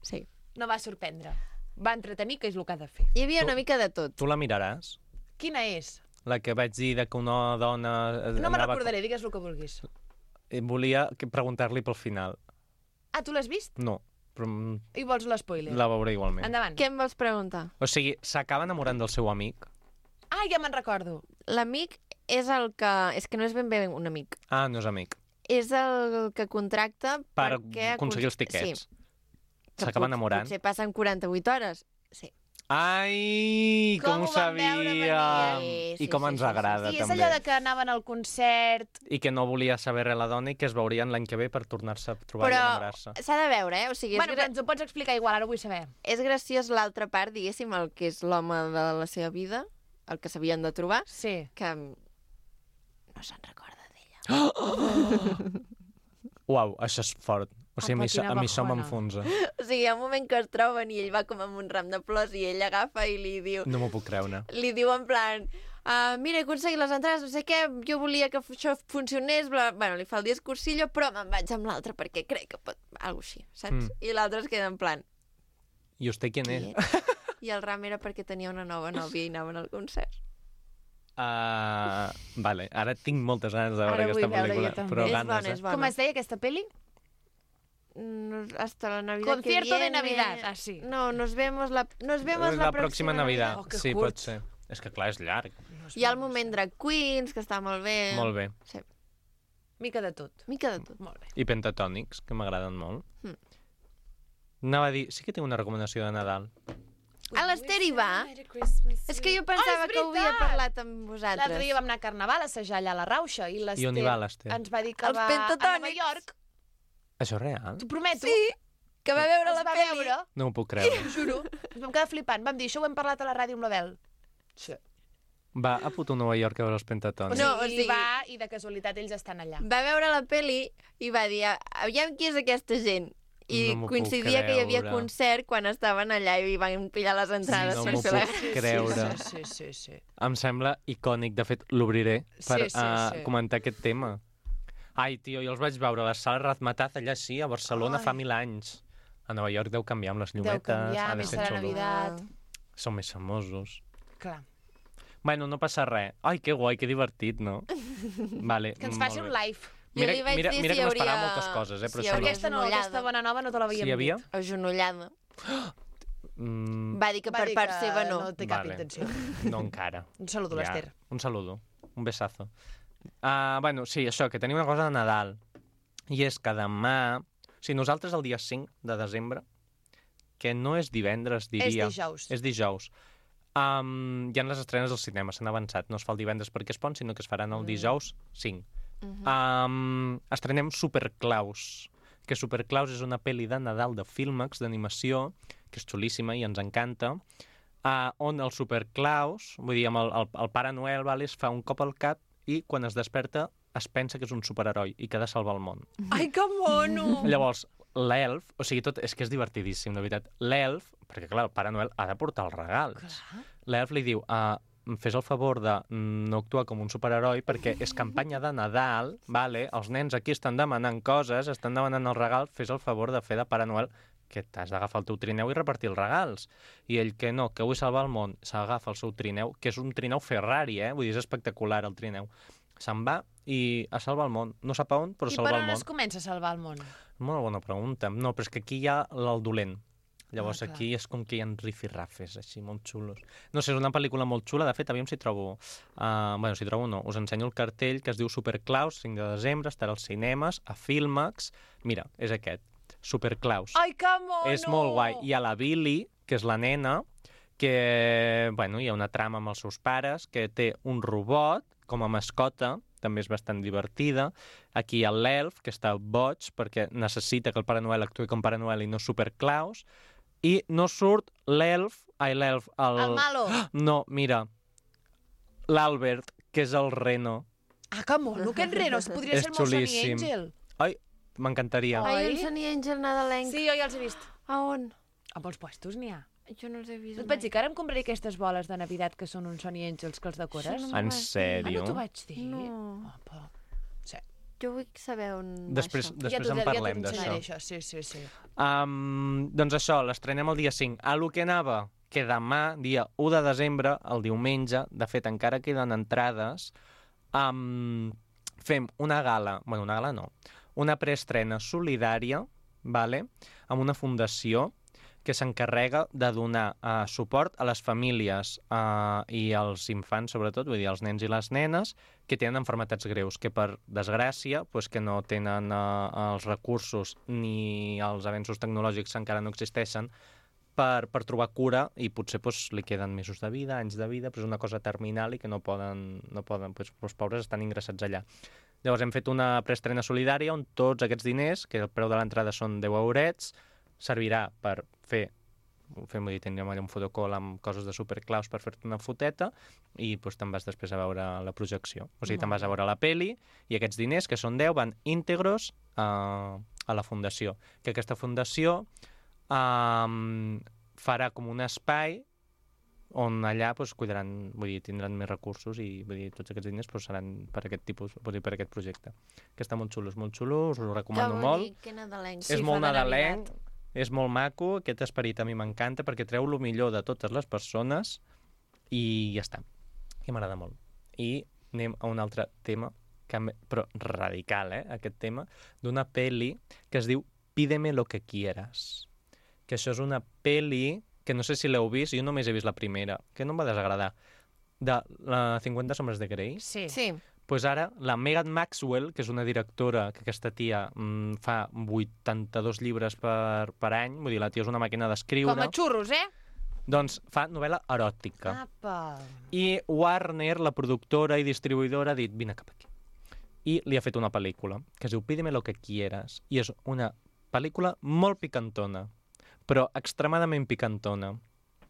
sí. no va sorprendre. Va entretenir, que és el que ha de fer. Hi havia Tu- una mica de tot. Tu la miraràs? Quina és? La que vaig dir de que una dona... eh, No me anava- recordaré, digues el que vulguis. Eh, Volia que- preguntar-li pel final. Ah, tu l'has vist? No, però mm, I vols l'espoiler? la veuré igualment. Endavant. Què em vols preguntar? O sigui, s'acaba enamorant del seu amic. Ah, ja me'n recordo. L'amic és el que... És que no és ben bé un amic. Ah, no és amic. És el que contracta Per perquè... aconseguir els tiquets. Que S'acaba pot- enamorant. Potser passen quaranta-vuit hores. Sí. Ai, com, Com ho ho vam veure sabia! venir. I com Sí, sí, ens sí, sí, agrada, Sí, és també. allò de que anaven al concert... I que no volia saber res la dona i que es veurien l'any que ve per tornar-se a trobar i Però enamorar-se. s'ha de veure, eh? O sigui, és, Bueno, però gra... ens ho pots explicar igual, ara ho vull saber. és graciós l'altra part, diguéssim, el que és l'home de la seva vida, el que s'havien de trobar, Sí. que no se'n recorda d'ella. Uau, això és fort. O sigui, a mi, Apa, quina a mi això bajona. m'enfonsa. O sigui, hi ha un moment que es troben i ell va com amb un ram de plors i ell agafa i li diu... No m'ho puc creure. Li diu en plan... Uh, mira, he aconseguit les entrades, no sé què, jo volia que això funcionés, bla... bueno, li fa el discursillo, però me'n vaig amb l'altre perquè crec que pot... Algo així, saps? Mm. I l'altre es queda en plan... I usted quién Qui és? ets? I el ram era perquè tenia una nova nòvia i anaven al concert. Uh, vale, ara tinc moltes ganes de veure Ara aquesta vull veure pel·lícula. jo també. Però És ganes, bona, eh? és bona. Com es deia aquesta peli? No, hasta la Navidad Concierto que de viene... Navidad, ah, sí. No, nos vemos la, nos vemos És la, la pròxima Navidad. Oh, que sí, curt. pot ser. És que clar, és llarg. Hi ha el moment drag queens, que està molt bé. Molt bé. Sí, Mica de tot. mica de tot. Molt bé. I pentatònics, que m'agraden molt. Mm. Anava a dir, sí que tinc una recomanació de Nadal. A l'Ester hi va. És que jo Ah, pensava és que ho havia veritat! parlat amb vosaltres. L'altre dia vam anar a Carnaval a assajar allà a la Rauxa i l'Ester I on hi va l'Ester? ens va dir que Els va a Nova pentatònics. York. Això és real? T'ho prometo. Sí, que va veure Es la va pel·li. veure, No m'ho puc creure. t'ho juro. Ens vam quedar flipant. Vam dir, això ho hem parlat a la ràdio amb la Bel. Sí. Va a puto Nova York a veure els O pentatònics. sigui, No, o sigui- va i de casualitat ells estan allà. Va veure la pel·li i va dir, aviam qui és aquesta gent. i No m'ho puc coincidia que hi havia creure. concert quan estaven allà i van pillar les entrades no per m'ho fer la... puc creure. Sí, sí, sí, sí. Em sembla icònic. De fet, l'obriré per Sí, sí, uh, sí. comentar aquest tema. Ai, tio, jo els vaig veure a la sala Razmataz allà sí, a Barcelona, Ai. fa mil anys. A Nova York deu canviar amb les Deu llumetes. canviar, ha de més ser serà xulo. Navidad. Són més famosos. Clar. Bueno, no passa res. Ai, que guai, que divertit, no? Vale, Que ens molt faci un bé. live. Mira, Jo li vaig mira, dir mira si que hi m'esperava hauria- moltes coses, eh? Però si hi això hauria no. Aquesta no, Agenollada. aquesta bona nova no te l'havíem Sí, hi havia? dit. Agenollada. Mm, Va dir que Va per dir part que seva no. no té cap Vale. intenció. no encara. Un saludo, Ja. l'Ester. Un saludo. Un besazo. Uh, bueno, sí, això, que tenia una cosa de Nadal. I és que demà... O sigui, nosaltres el dia cinc de desembre, que no és divendres, diria... És dijous. És dijous. Um, hi ha les estrenes al cinema, s'han avançat. No es fa el divendres perquè es pon, sinó que es faran el dijous cinc. Mhm. Um, estrenem Superclaus, que Superclaus és una pel·li de Nadal de Filmex, d'animació, que és xulíssima i ens encanta, uh, on el Superclaus, vull dir, amb el, el, el Pare Noel, vale, es fa un cop al cap i quan es desperta es pensa que és un superheroi i que ha de salvar el món. Ai, que mono! Llavors, l'elf, o sigui, tot, és que és divertidíssim, de veritat. L'elf, perquè clar, el Pare Noel ha de portar els regals. Clar. L'elf li diu, uh, em fes el favor de no actuar com un superheroi perquè és campanya de Nadal, vale? Els nens aquí estan demanant coses, estan demanant el regal, fes el favor de fer de Pare Noel, que t'has d'agafar el teu trineu i repartir els regals. I ell que no, que vull salvar el món, s'agafa el seu trineu, que és un trineu Ferrari, eh? Vull dir, és espectacular el trineu. Se'n va i a salvar el món. No sap a on, però I per salvar el on món. es comença a salvar el món? Molt bona pregunta. No, però és que aquí hi ha el dolent. Llavors Ah, clar. aquí és com que hi ha rifirrafes, així, molt xulos. No sé, és una pel·lícula molt xula. De fet, aviam si trobo... Uh, bueno, si trobo no. Us ensenyo el cartell que es diu Superclaus, cinc de desembre, estarà als cinemes, a Filmex. Mira, és aquest. Superclaus. Ai, que mono! És molt guai. Hi ha la Billy, que és la nena, que, bueno, hi ha una trama amb els seus pares, que té un robot com a mascota, també és bastant divertida. Aquí hi ha l'elf, que està boig, perquè necessita que el Pare Noel actuï com Pare Noel i no Superclaus. I no surt l'elf... Ai, l'elf... El... El malo. No, mira, l'Albert, que és el reno. Ah, que mono, aquest reno. Podria És ser el meu Sonny xulíssim. Angel. Ai, m'encantaria. Ai. Ai, un Sonny Angel nadalenc. Sí, jo ja els he vist. A on? A molts puestos n'hi ha. Jo no els he vist Et vaig dir que ara em compraré aquestes boles de Navidad que són uns Sonny Angels que els decores. Això no En m'ho vas dir. Ah, sèrio? no t'ho vaig dir? No. Opa. Sí. Jo vull saber on Després, va això. després ja en parlem ja d'això. això. Sí, sí, sí. Um, doncs això, l'estrenem el dia cinc. A lo que anava, que demà, dia u de desembre, el diumenge, de fet encara queden entrades, um, fem una gala, bueno, una gala no, una preestrena solidària, vale? Amb una fundació que s'encarrega de donar uh, suport a les famílies uh, i als infants, sobretot, vull dir, als nens i les nenes, que tenen enfermetats greus, que per desgràcia, pues, que no tenen uh, els recursos ni els avenços tecnològics encara no existeixen per, per trobar cura i potser pues, li queden mesos de vida, anys de vida, però és una cosa terminal i que no poden, no poden pues, els pobres estan ingressats allà. Llavors hem fet una preestrena solidària on tots aquests diners, que el preu de l'entrada són deu eurets, servirà per fer, fem, vull dir, tindrem allà un fotocall amb coses de Superclaus per fer-te una foteta i doncs, te'n vas després a veure la projecció. O sigui, te'n vas a veure la peli i aquests diners, que són deu, van íntegros a, a la fundació. Que aquesta fundació um, farà com un espai on allà doncs, cuidaran, vull dir, tindran més recursos i vull dir, tots aquests diners doncs, seran per aquest tipus, vull dir, per aquest projecte. Que està molt xulo, és molt xulo, us ho recomano Que molt. bonic, que nadalenc. Sí, és fa molt de nadalenc, Navidad. és molt maco, aquest esperit a mi m'encanta perquè treu el millor de totes les persones i ja està. I m'agrada molt. I anem a un altre tema, que, em- però radical, eh, aquest tema, d'una peli que es diu Pídeme lo que quieras. Que això és una peli que no sé si l'heu vist, jo només he vist la primera, que no em va desagradar, de la cinquanta sombres de Grey. Sí. Sí. Pues ara, la Megan Maxwell, que és una directora que aquesta tia mm, fa vuitanta-dos llibres per, per any, vull dir, la tia és una màquina d'escriure, Com a xurros, eh? doncs fa novel·la eròtica. Apa. I Warner, la productora i distribuïdora, ha dit, vine cap aquí. I li ha fet una pel·lícula, que es diu Pídeme lo que quieras, i és una pel·lícula molt picantona, però extremadament picantona.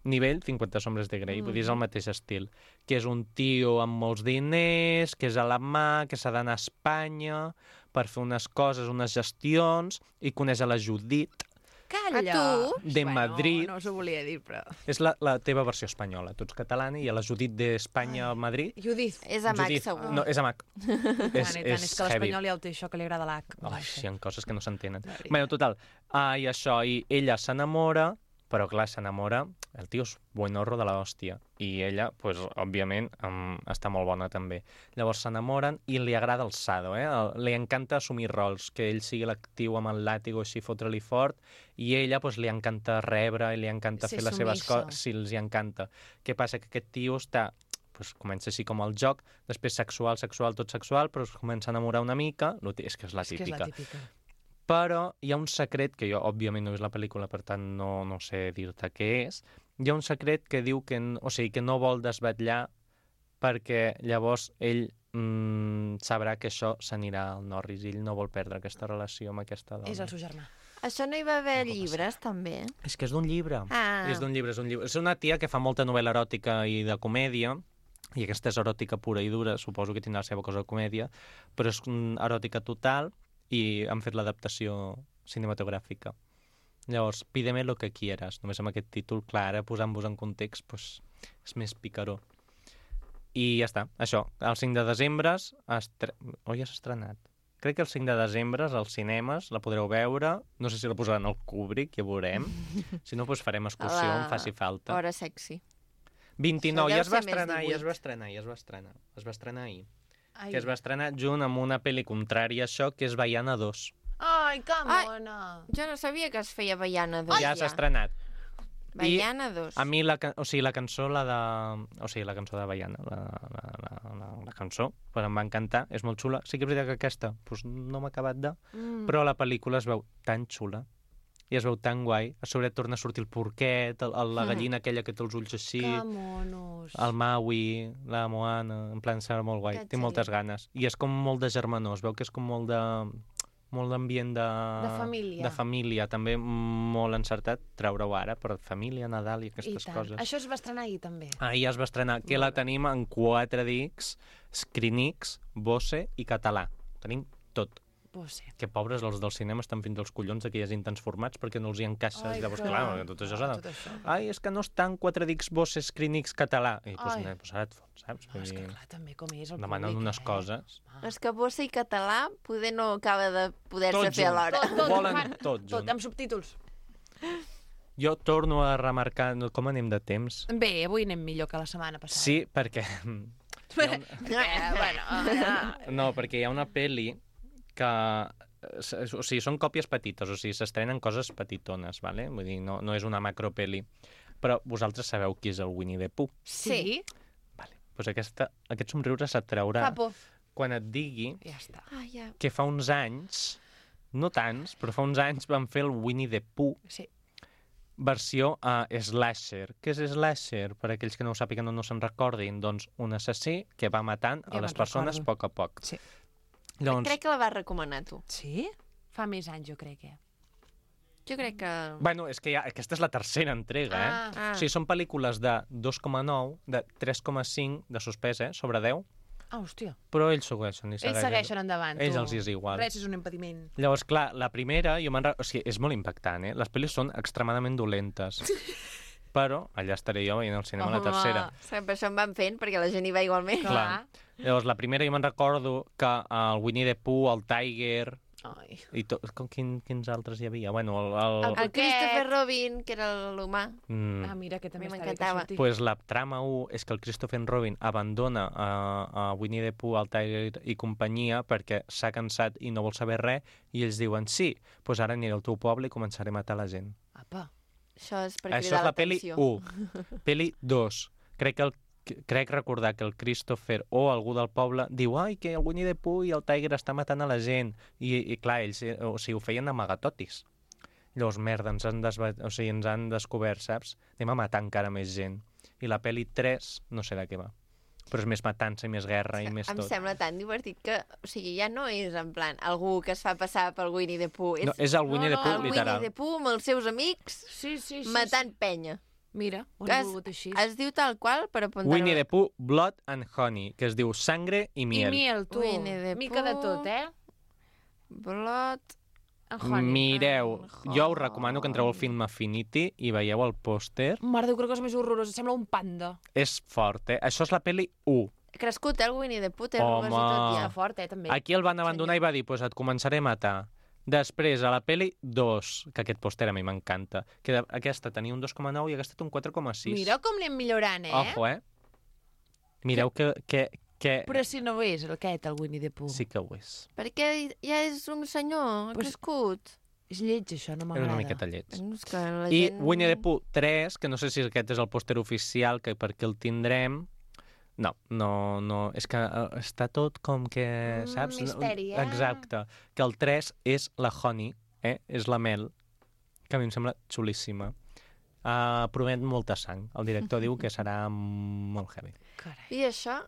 Nivell cinquanta sombres de Grey, mm. vull dir, és el mateix estil. Que és un tio amb molts diners, que és alemà, que s'ha d'anar a Espanya per fer unes coses, unes gestions, i coneix a la Judit, ella. tu? de Bueno, Madrid. no us ho volia dir, però... És la, la teva versió espanyola. Tu ets catalana i a la Judit d'Espanya a Madrid... Judith. És a Mac, Judit, segur. no, és a Mac. És, tant, és, i tant, és, és que heavy. l'espanyol ja ho té això que li agrada l'H. No Ai, sé. sí, hi ha coses que no s'entenen. La veritat. Bueno, total, ah, i això, i ella s'enamora, però clar, s'enamora, el tio és buenorro de l'hòstia, i ella, pues, òbviament, um, està molt bona també. Llavors s'enamoren i li agrada el sado, eh? El, li encanta assumir rols, que ell sigui l'actiu amb el làtigo així, fotre-li fort, i ella, pues, li encanta rebre i li encanta Ser fer les seves submissa. coses, sí, els hi encanta. Què passa? Que aquest tio està pues, comença així com el joc, després sexual, sexual, tot sexual, però es comença a enamorar una mica, lo tí- és que és la És que és típica. la típica. Però hi ha un secret, que jo òbviament no he vist la pel·lícula, per tant no, no sé dir-te què és, hi ha un secret que diu que, n- o sigui, que no vol desvetllar perquè llavors ell mm, sabrà que això s'anirà al Norris i ell no vol perdre aquesta relació amb aquesta dona. És el seu germà. Això no hi va haver No pot llibres, també? És que és d'un llibre. Ah. És d'un llibre, és un llibre. És una tia que fa molta novel·la eròtica i de comèdia, i aquesta és eròtica pura i dura, suposo que tindrà la seva cosa de comèdia, però és mm, eròtica total i han fet l'adaptació cinematogràfica. Llavors, pídeme lo que quieras. Només amb aquest títol, clar, ara posant-vos en context, pues, és més picaró. I ja està, això. El cinc de desembre... Estre... Oh, ja s'ha estrenat. Crec que el cinc de desembre als cinemes la podreu veure. No sé si la posaran al Kubrick, ja veurem. Si no, doncs farem excursió, A la em faci falta. Hora sexy. vint-i-nou, Això ja deu es va ser més estrenar, ja es divuit. va estrenar, ja es va estrenar. Es va estrenar ahir. Ai, Que es va estrenar junt amb una pel·li contrària a això, que és Baiana dos. Ai que Ai. mona! Jo no sabia que es feia Baiana dos. Ja s'ha estrenat. Baiana dos. A mi, la, ca- o sigui, la cançó, la de... O sigui, la cançó de Baiana, la, la, la, la, la cançó, pues em va encantar, és molt xula. Sí que és veritat que aquesta pues, no m'ha acabat de... Mm. Però la pel·lícula es veu tan xula i es veu tan guai. A sobre torna a sortir el porquet, el, el, la gallina aquella que té els ulls així, Que monos. el Maui, la Moana, en plan serà molt guai. Que Té xulo. moltes ganes. I és com molt de germanor, es veu que és com molt de molt d'ambient de... De família. De família, també molt encertat treure-ho ara, per família, Nadal i I aquestes tant. coses. Això es va estrenar ahir, també. Ahir es va estrenar, que la tenim en quatre discs, Screenix, Bose i català. Tenim tot. Pues sí. Que pobres, els del cinema estan fins als collons de que hi hagin tants formats perquè no els hi encaixa. Ai, Llavors, clar. clar, tot això s'ha de... Tot això. Ai, és que no estan quatre discs Bose, Screenix, català. I doncs, Ai. pues, pues ara et fots, saps? No, és que Vull dir, clar, també com és el demanen públic, unes eh? coses. Ah. És que bossa i català poder no acaba de poder-se Tot fer junt. alhora. Tot, tot, Volen fan tot tot, junt. amb subtítols. Jo torno a remarcar no, com anem de temps. Bé, avui anem millor que la setmana passada. Sí, perquè... Eh, bueno, No, perquè hi ha una peli que... O sigui, són còpies petites, o sigui, s'estrenen coses petitones, vale? Vull dir, no, no és una macropeli. Però vosaltres sabeu qui és el Winnie the Pooh. sí. Vale. Pues aquesta, aquest somriure s'atraurà Fa por. quan et digui Ja està. Ah, ja. que fa uns anys, no tants, però fa uns anys van fer el Winnie the Pooh Sí. versió a uh, slasher. Què és slasher? Per aquells que no ho sàpiguen o no se'n recordin, doncs un assassí que va matant Ja a les me'n persones a recordo. poc a poc. Sí. Llavors, Crec que la vas recomanar tu. Sí? Fa més anys, jo crec, eh? Jo crec que... bueno, és que ja, aquesta és la tercera entrega, eh? Ah. Ah. O sigui, són pel·lícules de dos coma nou, de tres coma cinc de suspès, eh? Sobre deu, Ah, hòstia. però ells segueixen. I Ells segueixen endavant, tu. Ells els hi és igual. Res és un impediment. Llavors, clar, la primera, jo me'n... re- O sigui, és molt impactant, eh? Les pel·lis són extremadament dolentes. Però allà estaré jo veient al cinema la Home. tercera. Saps, per això en van fent, perquè la gent hi va igualment. Clar. Llavors, la primera jo me'n recordo que el Winnie the Pooh, el Tiger... Ai. I to... com, quin, quins altres hi havia? Bueno, el... el... El- El Aquest- Christopher Robin, que era l'humà. Mm. Ah, mira, que també A mi està bé que m'encantava. surti. Pues la trama u és que el Christopher Robin abandona a, a Winnie the Pooh, el Tiger i companyia perquè s'ha cansat i no vol saber res i ells diuen sí, pues ara aniré al teu poble i començaré a matar la gent. Apa. Això és per Això cridar és la peli l'atenció. u. Peli dos. Crec que el crec recordar que el Christopher o algú del poble diu ai, que el Winnie the Pooh i el Tiger està matant a la gent. I, i clar, ells eh, o sigui, ho feien amagatotis. Llavors, merda, ens han, desva... o sigui, ens han descobert, saps? Anem a matar encara més gent. I la peli tres, no sé de què va. Però és més matança i més guerra i més Em tot. sembla tan divertit que, o sigui, ja no és en plan algú que es fa passar pel Winnie the Pooh. És No, és el Winnie No, the no, Pooh, el literal. Winnie the Pooh amb els seus amics Sí, sí, sí. matant penya. Sí. Mira, ho Que hem es, volgut així. es diu tal qual per apuntar... Winnie the Pooh, Blood and Honey, que es diu Sangre i I Miel. miel, tu. Winnie the Mica de Pooh. tot, eh? Blood Honey. Mireu, En jo us recomano que entreu al film Affinity i veieu el pòster. Mare de Déu, que cosa més horrorosa. Sembla un panda. És fort, eh? Això és la pel·li u. Crescut, eh, el Winnie the Pooh, té Home. arrugues i tot Està ja. fort, eh, també. Aquí el van abandonar i va dir, pues et començaré a matar. Després, a la pel·li dos, que aquest pòster a mi m'encanta, que de- aquesta tenia un dos coma nou i aquesta té un quatre coma sis. Mira com anem millorant, eh? Ojo, eh? Mireu que, que, que... Però si no ho és, aquest, el Winnie the Pooh. Sí que ho és. Perquè ja és un senyor, ha Pues- crescut. És lleig, això, no És m'agrada. una miqueta lleig. No, és que la I gent... Winnie the Pooh tres, que no sé si aquest és el pòster oficial, que per què el tindrem... No, no, no, és que eh, està tot com que, Mm, saps? misteri, eh? Exacte. Que el tres és la Honey, eh? És la Mel, que a mi em sembla xulíssima. Uh, promet molta sang. El director diu que serà molt heavy. Carai. I això...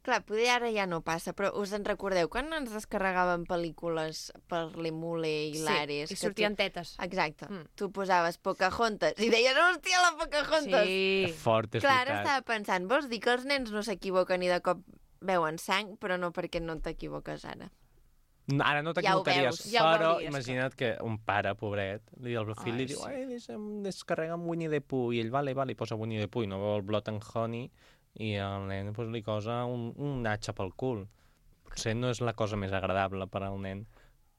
Clar, poder ara ja no passa, però us en recordeu quan ens descarregaven pel·lícules per l'Emule i l'Ares? Sí, i sortien tetes. Exacte. Mm. Tu posaves Pocahontas i deies, hòstia, la Pocahontas! Sí. Fort, és Clar, ara veritat. estava pensant, vols dir que els nens no s'equivoquen i de cop veuen sang, però no perquè no t'equivoques ara. Ara no Ja ho t'equivocaries, veus, ja ho però veuries, imagina't que un pare, pobret, li el fill Ai, li diu, sí. ai, deixa'm descarregar amb Winnie the Pooh, i ell, vale, vale, i posa Winnie the Pooh, i no veu el Blood and Honey, i el nen pues, li cosa un, un natxa pel cul. Potser no és la cosa més agradable per al nen,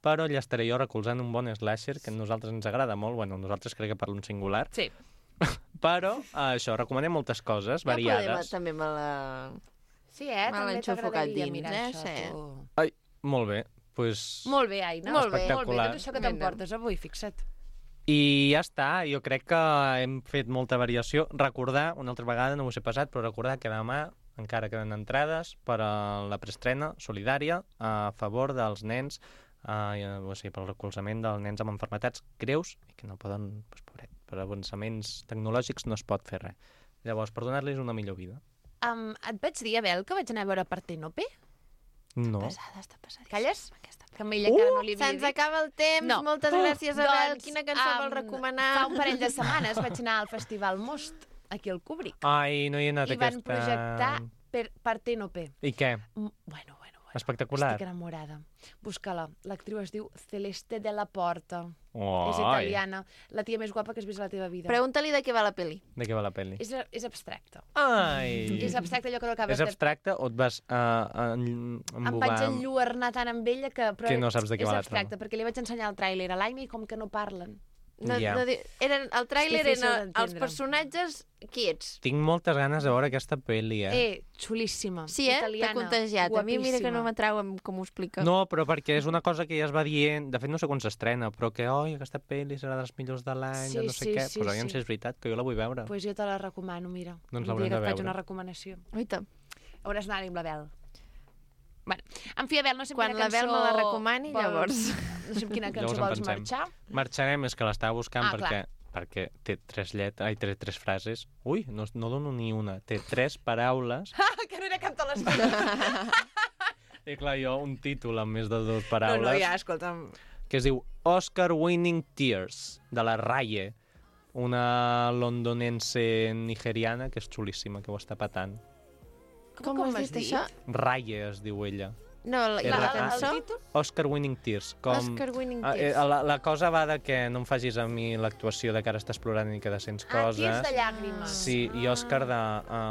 però allà estaré jo recolzant un bon slasher que a nosaltres ens agrada molt, bueno, nosaltres crec que parlo en singular, Sí. però eh, això, recomanem moltes coses Ja podem, variades. també me la... Sí, eh? Me També l'enxufo cap t'agradaria dins, mirar eh? això, Sí. tu. Ai, molt bé, pues... Molt bé, Aina. Molt bé. Molt bé, Espectacular. tot això que Vinga. t'emportes avui, fixa't. I ja està, jo crec que hem fet molta variació. Recordar, una altra vegada, no us he passat, però recordar que demà encara queden entrades per a la preestrena solidària a favor dels nens, eh, o sigui, pel recolzament dels nens amb malalties greus i que no poden, doncs, pobret, per avançaments tecnològics no es pot fer res. Llavors, per donar-los una millor vida. Um, et vaig dir, Abel, que vaig anar a veure Partenope? No. Pesada, està pesadíssima. Calles? Aquesta. Que amb ella encara no li havia Se'ns dit. acaba el temps. No. Moltes gràcies, Abel. Doncs, Quina cançó um, vol recomanar? Fa un parell de setmanes vaig anar al Festival Most, aquí al Kubrick, Ai, no hi he anat i van aquesta... projectar per Partenope. I què? Mm, Bueno, bueno, bueno. Espectacular. Estic enamorada. Busca-la. L'actriu es diu Celeste de la Porta. Oh, És italiana. La tia més guapa que has vist a la teva vida. Pregunta-li de què va la peli. De què va la pel·li? És, és abstracte. Ai! És abstracte allò que no acabes És abstracte o et vas uh, en, Em vaig enlluernar tant amb ella que... Però Que no saps de què és va la abstracte, trama. perquè li vaig ensenyar el tràiler a l'Aina i com que no parlen. No, Ja. no, di- eren, el tràiler És difícil eren els d'entendre. personatges quiets. Tinc moltes ganes de veure aquesta pel·li, eh? Eh, xulíssima. Sí, eh? T'ha Italiana, contagiat. A mi mira que no guapíssima. m'atrau amb com ho explica. No, però perquè és una cosa que ja es va dient, de fet no sé quan s'estrena, però que, oi, aquesta pel·li serà de les millors de l'any, Sí, de no sé sí, què, sí, però aviam sí. si és veritat, que jo la vull veure. Pues jo te la recomano, mira. Doncs Un l'haurem dia que de et faig veure. una recomanació. Oita. Hauràs d'anar-hi amb l'Abel. Bueno, en fi, Abel, no sé amb Quan quina l'Abel cançó... me la recomani, vols- llavors. No sé amb quina Llavors cançó en vols pensem. marxar. Marxarem, és que l'estava buscant Ah, perquè, perquè té tres llet... Ai, té tres frases. Ui, no, no dono ni una. Té tres paraules. que no era cap de les coses. I clar, jo un títol amb més de dues No, paraules. no, ja, escolta'm. Que es diu Oscar Winning Tears, de la Raye, una londonense nigeriana que és xulíssima, que ho està patant. Com, com has has dit dit? això? Raye es diu ella. No, la, i La- la la- cançó? El títol? Oscar Winning Tears. Com... Oscar Winning Ah, eh, Tears. la, la cosa va de que no em facis a mi l'actuació de que ara estàs plorant i que de sents Ah, coses. tirs de llàgrimes. Sí, i Òscar de,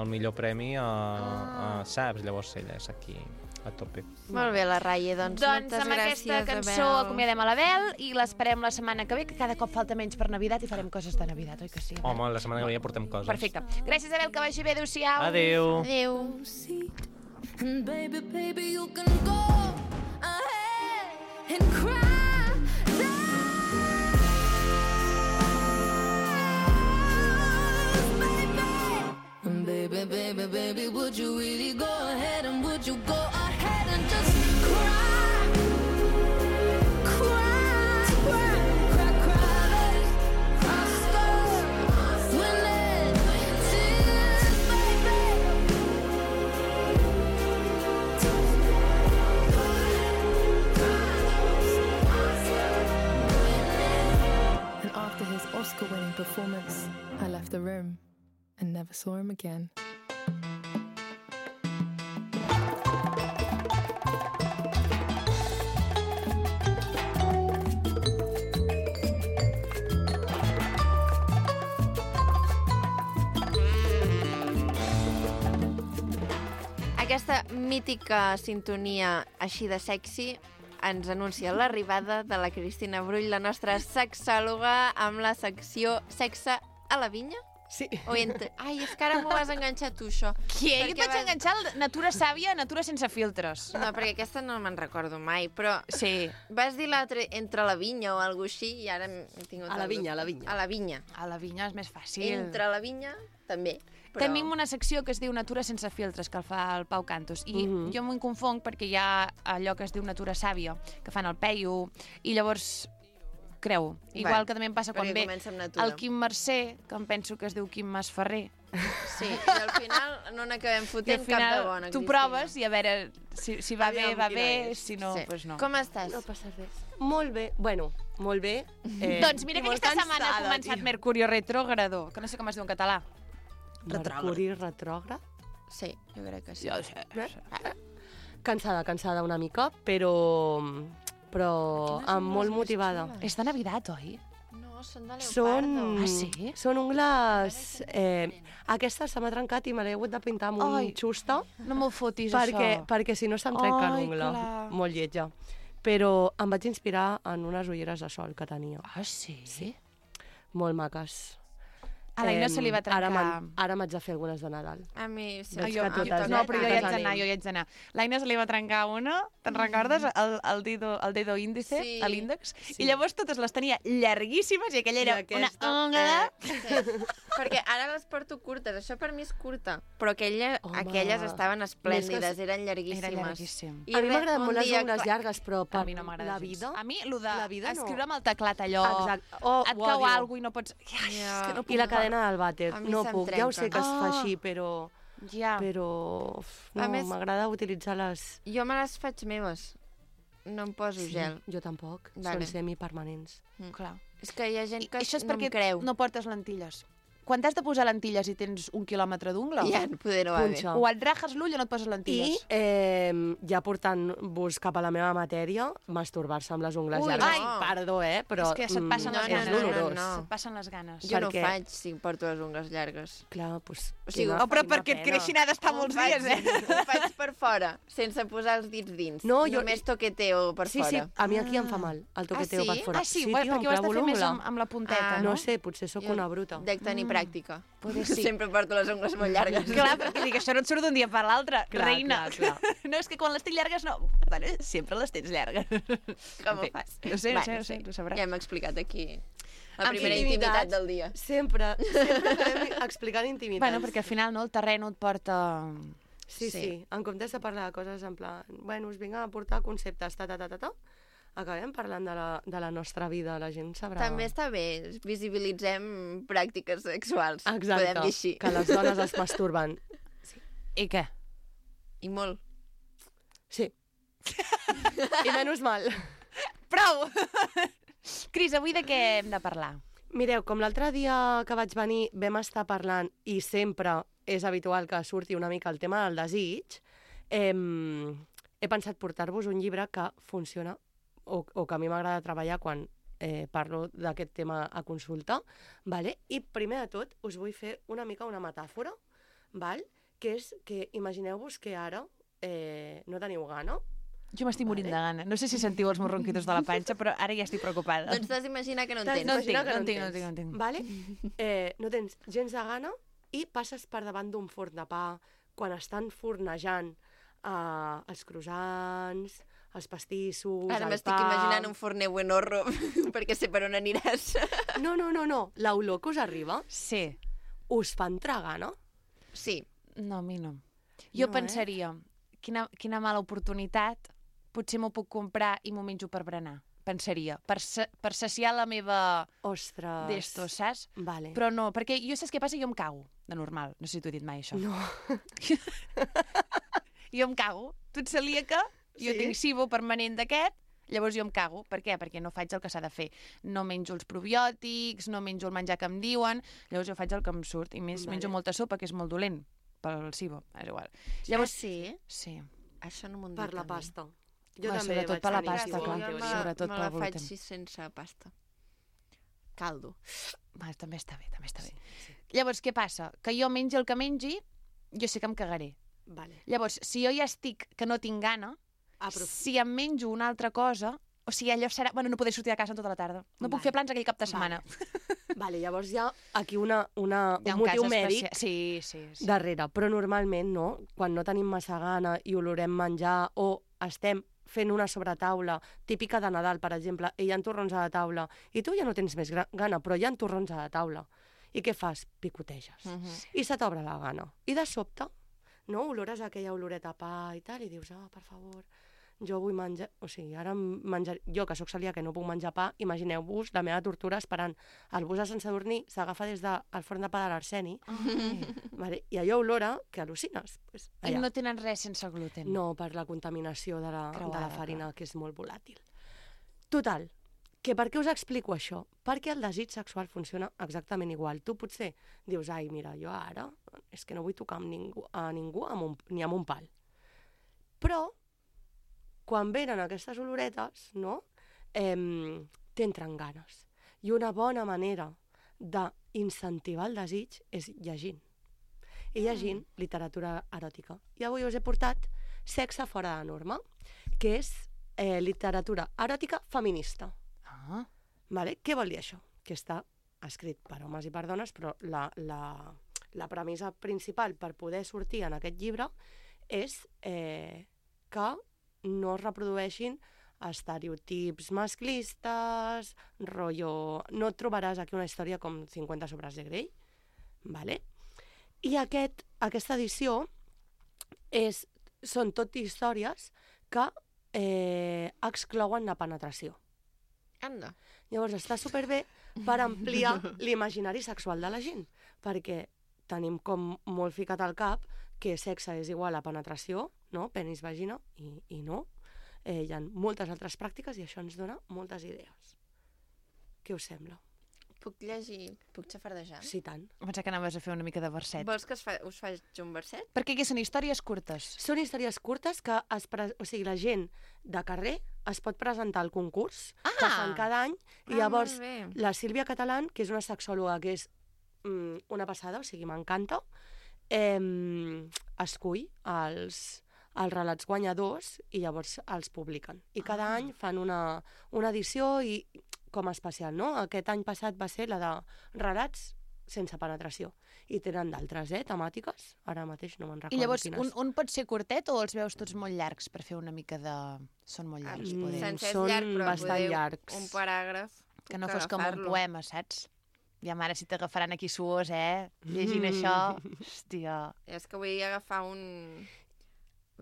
el millor premi a, a, saps? Llavors ella és aquí a tope. Molt bé, la Raye, doncs, Doncs moltes amb gràcies, aquesta cançó Abel. acomiadem a l'Abel i l'esperem la setmana que ve, que cada cop falta menys per Navidad i farem coses de Navidad, oi que sí? Abel? Home, la setmana que ve ja portem coses. Perfecte. Gràcies, Abel, que vagi bé. Adéu-siau. Adéu. Adéu. And baby, baby, you can go ahead and cry. And baby, baby, baby, would you really go ahead and would you go ahead and just cry? Cry, cry, cry, cry, cry, stars, winning tears, baby. And after his Oscar-winning performance, I left the room and never saw him again. aquesta mítica sintonia així de sexy ens anuncia l'arribada de la Cristina Brull, la nostra sexòloga, amb la secció Sexe a la vinya? Sí. O ent... Ai, és que ara m'ho has enganxat tu, això. Qui? Jo et Perquè vaig vas- enganxar el Natura Sàvia, Natura sense filtres. No, perquè aquesta no me'n recordo mai, però Sí. vas dir l'altre entre la vinya o alguna així i ara m'he tingut... A la el vinya, dubte. a la vinya. A la vinya. A la vinya és més fàcil. Entre la vinya, també. Però... Tenim una secció que es diu Natura sense filtres, que el fa el Pau Cantos. I Mhm. jo m'ho confonc perquè hi ha allò que es diu Natura Sàvia, que fan el Peyu, i llavors creu. Igual Vale, que també em passa quan perquè ve comença amb Natura. el Quim Mercè, que em penso que es diu Quim Masferrer. Sí, i al final no n'acabem I al fotent cap final de bona, tu Cristina. proves i a veure si, si va Aviam bé, va quina bé, és. si no, Sí. doncs pues no. Com estàs? No passa res. Molt bé. Bueno, molt bé. Eh, Doncs mira i que molt aquesta setmana ha cansada, començat tio. Mercurio retrógrado, que no sé com es diu en català. Mercuri retrògrad. Sí, jo crec que sí. Jo sé. Eh? Cansada, cansada una mica, però, però Quines amb ungles molt més motivada. xules. És de Navidad, oi? No, són de leopardo. Són, Ah, sí? són ungles... Eh, aquesta se m'ha trencat i me l'he hagut de pintar amb un Ai. xusta No me'l fotis, perquè, això. perquè si no se'm trenca Ai, l'ungla. clar. Molt lletja. Però em vaig inspirar en unes ulleres de sol que tenia. Ah, sí? Sí. Molt maques. A l'Aina Em, se li va trencar... Ara m'han- ara m'haig de fer algunes de Nadal. A mi sí. Veig jo, que jo, totes, no, eh? però jo hi Totes haig d'anar, anem. jo hi haig d'anar. L'Aina se li va trencar una, te'n recordes? El, el, dedo, el dedo índice, Sí. a l'índex. Sí. I llavors totes les tenia llarguíssimes i aquella era I aquesta, una ungla... Sí. Perquè ara les porto curtes. Això per mi és curta. Però aquella, Home. aquelles estaven esplèndides, Més que- eren llarguíssimes. Era llarguíssim. I a mi res, m'agraden un molt les dia, ungles clar, llargues, però per A mi no m'agrada la gens. vida... A mi, el de la vida no. escriure amb el teclat allò... Exacte. Oh, et ho cau odio. alguna i no pots... Ai, Ja. és que no puc. I la cadena del vàter. A mi No se'm puc. Ja ho sé que es fa trenquen. així, però... Ja. Però... uf, A No, més- m'agrada utilitzar les... Jo me les faig meves. No em poso gel. Jo tampoc. Vale. Són semipermanents. Clar. És que hi ha gent que Això és no perquè em creu. no portes lentilles. Quan t'has de posar lentilles i tens un quilòmetre d'ungla, Ja, poder no va bé. Punxa. o et rajes l'ull o no et poses I, lentilles. eh, ja portant-vos cap a la meva matèria, masturbar-se amb les ungles Ui, llargues. no. Perdó, eh? Però és que se't passen no, les no, ganes. no, eh? no, dolorós. no. Se't passen les ganes. Jo no ho perquè- faig si porto les ungles llargues. Clar, doncs... O sigui, quina- Oh, però quina perquè et pena. creixin ha d'estar molts Ho faig- dies, eh? Ho faig per fora, sense posar els dits dins. No, jo- Només toqueteo per Sí, fora. sí, a mi aquí em fa mal, el toqueteo Ah, sí? per fora. Ah, sí, sí guai, tio, perquè em ho has de clavo fer més l'ungla. amb, amb la punteta, Ah, no? No sé, potser sóc Jo una bruta. Dec tenir pràctica. Poder sí. Sempre porto les ungles molt llargues. Clar, perquè dic, això no et surt d'un dia per l'altre, Clar, reina. clar, clar. No, és que quan les tinc llargues no... Bueno, sempre les tens llargues. Com En ho fi, fas? No sé, no Va, sé, no sé, ho sabràs. Ja hem explicat aquí la En primera intimitats. intimitat del dia. Sempre, sempre acabem explicant intimitats. Bueno, perquè al final no, el terreno et porta... Sí, Sí. sí, en comptes de parlar de coses en plan, bueno, us vinc a aportar conceptes, ta, ta, ta, ta, ta, acabem parlant de la, de la nostra vida, la gent sabrà... També està bé, visibilitzem pràctiques sexuals. Exacte, Podem dir així. que les dones es masturben. I què? I molt. Sí. I menys mal. Prou! Cris, avui de què hem de parlar? Mireu, com l'altre dia que vaig venir vam estar parlant, i sempre és habitual que surti una mica el tema del desig, eh, he pensat portar-vos un llibre que funciona, o, o que a mi m'agrada treballar quan eh, parlo d'aquest tema a consulta, vale? I primer de tot us vull fer una mica una metàfora, val? Que és que imagineu-vos que ara eh, no teniu gana. Jo m'estic morint Vale. de gana. No sé si sentiu els meus ronquitos de la panxa, però ara ja estic preocupada. Doncs t'has d'imaginar que no en T'has tens. No en d'imaginar tinc, que no en tinc, no en tens, tinc, no en tinc. Vale? Eh, no tens gens de gana i passes per davant d'un forn de pa quan estan fornejant eh, els croissants, els pastissos, Ara el m'estic pa... imaginant un forner buenorro, perquè sé per on aniràs. No, no, no, no. L'olor que us arriba Sí. us fa entrar gana. Sí. No, a mi no. Jo No, eh? pensaria, quina, quina mala oportunitat, potser m'ho puc comprar i m'ho menjo per berenar. Pensaria, per, sa per saciar la meva Ostres. d'esto, saps? Vale. Però no, perquè jo saps què passa? Jo em cago, de normal. No sé si t'ho he dit mai, això. No. Jo em cago. Tu ets celíaca, jo Sí. tinc SIBO permanent d'aquest, llavors jo em cago. Per què? Perquè no faig el que s'ha de fer. No menjo els probiòtics, no menjo el menjar que em diuen, llavors jo faig el que em surt. I més, Vale. menjo molta sopa, que és molt dolent pel SIBO. És igual. Llavors, Llavors, sí? sí. Això no m'ho han dit Per la a mi. pasta. Jo Bueno, també sobretot vaig per la tenir pasta, SIBO, clar. en Jo teoria. me, Sobretot me pel la faig gluten. així sense pasta. Caldo. Va, també està bé, també està bé. Llavors, què passa? Que jo mengi el que mengi, jo sé que em cagaré. Vale. Llavors, si jo ja estic que no tinc gana, Aprof... si em menjo una altra cosa, o sigui, allò serà... Bueno, no podré sortir de casa en tota la tarda. No puc Vale. fer plans aquell cap de setmana. Vale, vale llavors hi ha aquí una, una, Hi ha un motiu cas mèdic especial. Sí, sí, sí. darrere, però normalment, no? Quan no tenim massa gana i olorem menjar o estem fent una sobretaula típica de Nadal, per exemple, i hi ha torrons a la taula, i tu ja no tens més gana, però hi ha torrons a la taula. I què fas? Picoteges. Uh -huh. I se t'obre la gana. I de sobte, no? Olores aquella oloreta a pa i tal, i dius, ah, oh, per favor, jo vull menjar... O sigui, ara menjar... Jo, que sóc celíaca i no puc menjar pa, imagineu-vos la meva tortura esperant el bus a Sant Sadurní, s'agafa des del forn de pa de l'Arseni, vale? I allò olora que al·lucines. Pues, I no tenen res sense gluten. no, per la contaminació de la, Creuada, de la farina, que és molt volàtil. Total, que per què us explico això? Perquè el desig sexual funciona exactament igual. Tu potser dius, ai, mira, jo ara és que no vull tocar amb ningú, a ningú amb un, ni amb un pal. Però, quan venen aquestes oloretes, no? Eh, t'entren ganes. I una bona manera d'incentivar el desig és llegint. I llegint literatura eròtica. I avui us he portat Sexe fora de norma, que és eh, literatura eròtica feminista. Ah. Vale? Què vol dir això? Que està escrit per homes i per dones, però la, la, la premissa principal per poder sortir en aquest llibre és eh, que no es reprodueixin estereotips masclistes, rotllo... No et trobaràs aquí una història com cinquanta sobres de Grey, vale? I aquest, aquesta edició és, són tot històries que eh, exclouen la penetració. Anda. Llavors està superbé per ampliar l'imaginari sexual de la gent, perquè tenim com molt ficat al cap que sexe és igual a penetració, no? Penis, vagina, i, i no. Eh, hi ha moltes altres pràctiques i això ens dona moltes idees. Què us sembla? Puc llegir, puc xafardejar? Sí, tant. Em pensava que anaves a fer una mica de verset. Vols que us, fa, us faig un verset? Perquè aquí són històries curtes. Són històries curtes que es pre... o sigui, la gent de carrer es pot presentar al concurs Ah! que fan cada any i Ah, llavors molt bé. la Sílvia Catalán, que és una sexòloga que és mm, una passada, o sigui, m'encanta, eh, escull els, els relats guanyadors i llavors els publiquen. I cada Ah. any fan una, una edició i com a especial, no? Aquest any passat va ser la de relats sense penetració. I tenen d'altres, eh, temàtiques. Ara mateix no me'n recordo I llavors, quines. un, un pot ser curtet o els veus tots molt llargs per fer una mica de... Són molt llargs, Mm, poder. Sense és són llarg, però bastant podeu llargs. un paràgraf. Que no puc fos com un agafar-lo. poema, saps? Ja, mare, si t'agafaran aquí suors, eh? Llegint Mm. això, hòstia... És que vull agafar un,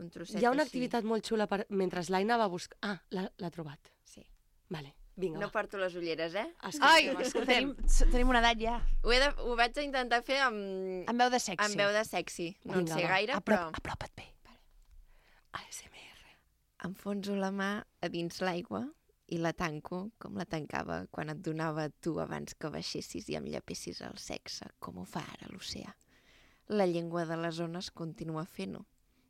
un trosset Hi ha una així. activitat molt xula per... mentre l'Aina va buscar... Ah, l'ha l'ha trobat. Sí. Vale, vinga, No va. porto les ulleres, eh? Ai, Escoltem, escoltem. tenim, tenim una edat ja. Ho, he de, ho vaig intentar fer amb, Amb veu de sexy. amb veu de sexy. No en Vinga, sé va. gaire, Aprop, però... apropa't bé. A S M R. Enfonso la mà a dins l'aigua i la tanco com la tancava quan et donava tu abans que baixessis i em llepessis el sexe, com ho fa ara l'oceà. La llengua de les ones continua fent-ho.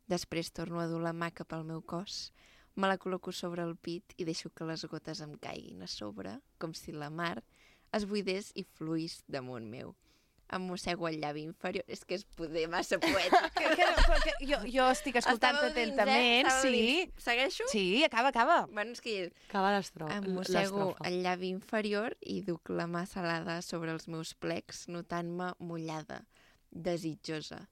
Després torno a dur la mà cap al meu cos, me la col·loco sobre el pit i deixo que les gotes em caiguin a sobre, com si la mar es buidés i fluís damunt meu. Em mossego el llavi inferior. És que és poder massa poètic. Que, que, no, però que jo, jo estic escoltant-te Estàveu dins, atentament, eh? Estàveu sí. dins. Segueixo? Sí, acaba, acaba. Bueno, és que Acaba l'estro- em mossego l'estrofa. el llavi inferior i duc la mà salada sobre els meus plecs, notant-me mullada, desitjosa.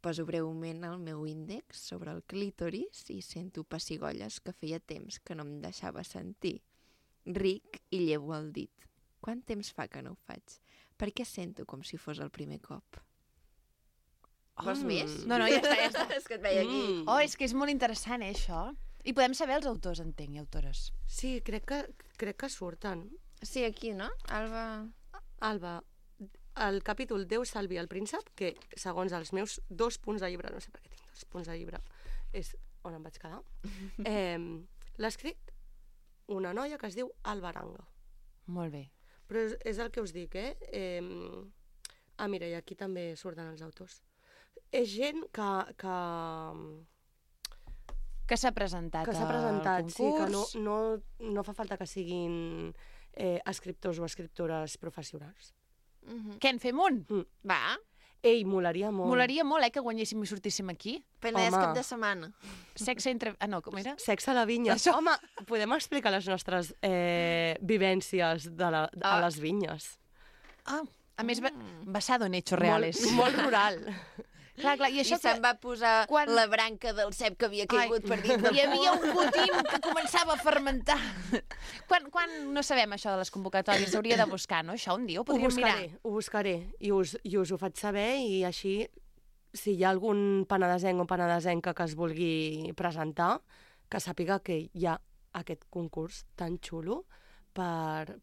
Poso breument el meu índex sobre el clítoris i sento pessigolles que feia temps que no em deixava sentir. Ric i llevo el dit. Quant temps fa que no ho faig? Per què sento com si fos el primer cop? Vols Mm. més? No, no, ja està, ja està. És que et veia aquí. Mm. Oh, és que és molt interessant, eh, això. I podem saber els autors, entenc, i autores. Sí, crec que, crec que surten. Sí, aquí, no? Alba... Alba, el capítol Déu salvi el príncep, que segons els meus dos punts de llibre, no sé per què tinc dos punts de llibre, és on em vaig quedar, eh, l'ha escrit una noia que es diu Alba Aranga. Molt bé. Però és, és el que us dic, eh? eh ah, mira, i aquí també surten els autors. És gent que, que, Que s'ha presentat, que s'ha al presentat, sí, que no, concurs. no, no fa falta que siguin eh, escriptors o escriptores professionals. Uh -huh. Què, en fem un? Va, Ei, molaria molt. Molaria molt, eh, que guanyéssim i sortíssim aquí. Penedès Home. cap de setmana. Sexe entre... Ah, no, com era? Sexe a la vinya. Això. Home, podem explicar les nostres eh, vivències de la, a Ah. les vinyes. Ah, a més, ba- basado en hechos reales. Molt, molt rural. Clar, clar, i I això se'n va posar quan- la branca del cep que havia caigut Ai, per dins del hi havia un putín que començava a fermentar. Quan, quan no sabem això de les convocatòries, s'hauria de buscar, no? Això un dia ho Ho podríem mirar. buscaré, ho buscaré i us, i us ho faig saber i així, si hi ha algun penedesenc o penedesenca que es vulgui presentar, que sàpiga que hi ha aquest concurs tan xulo per,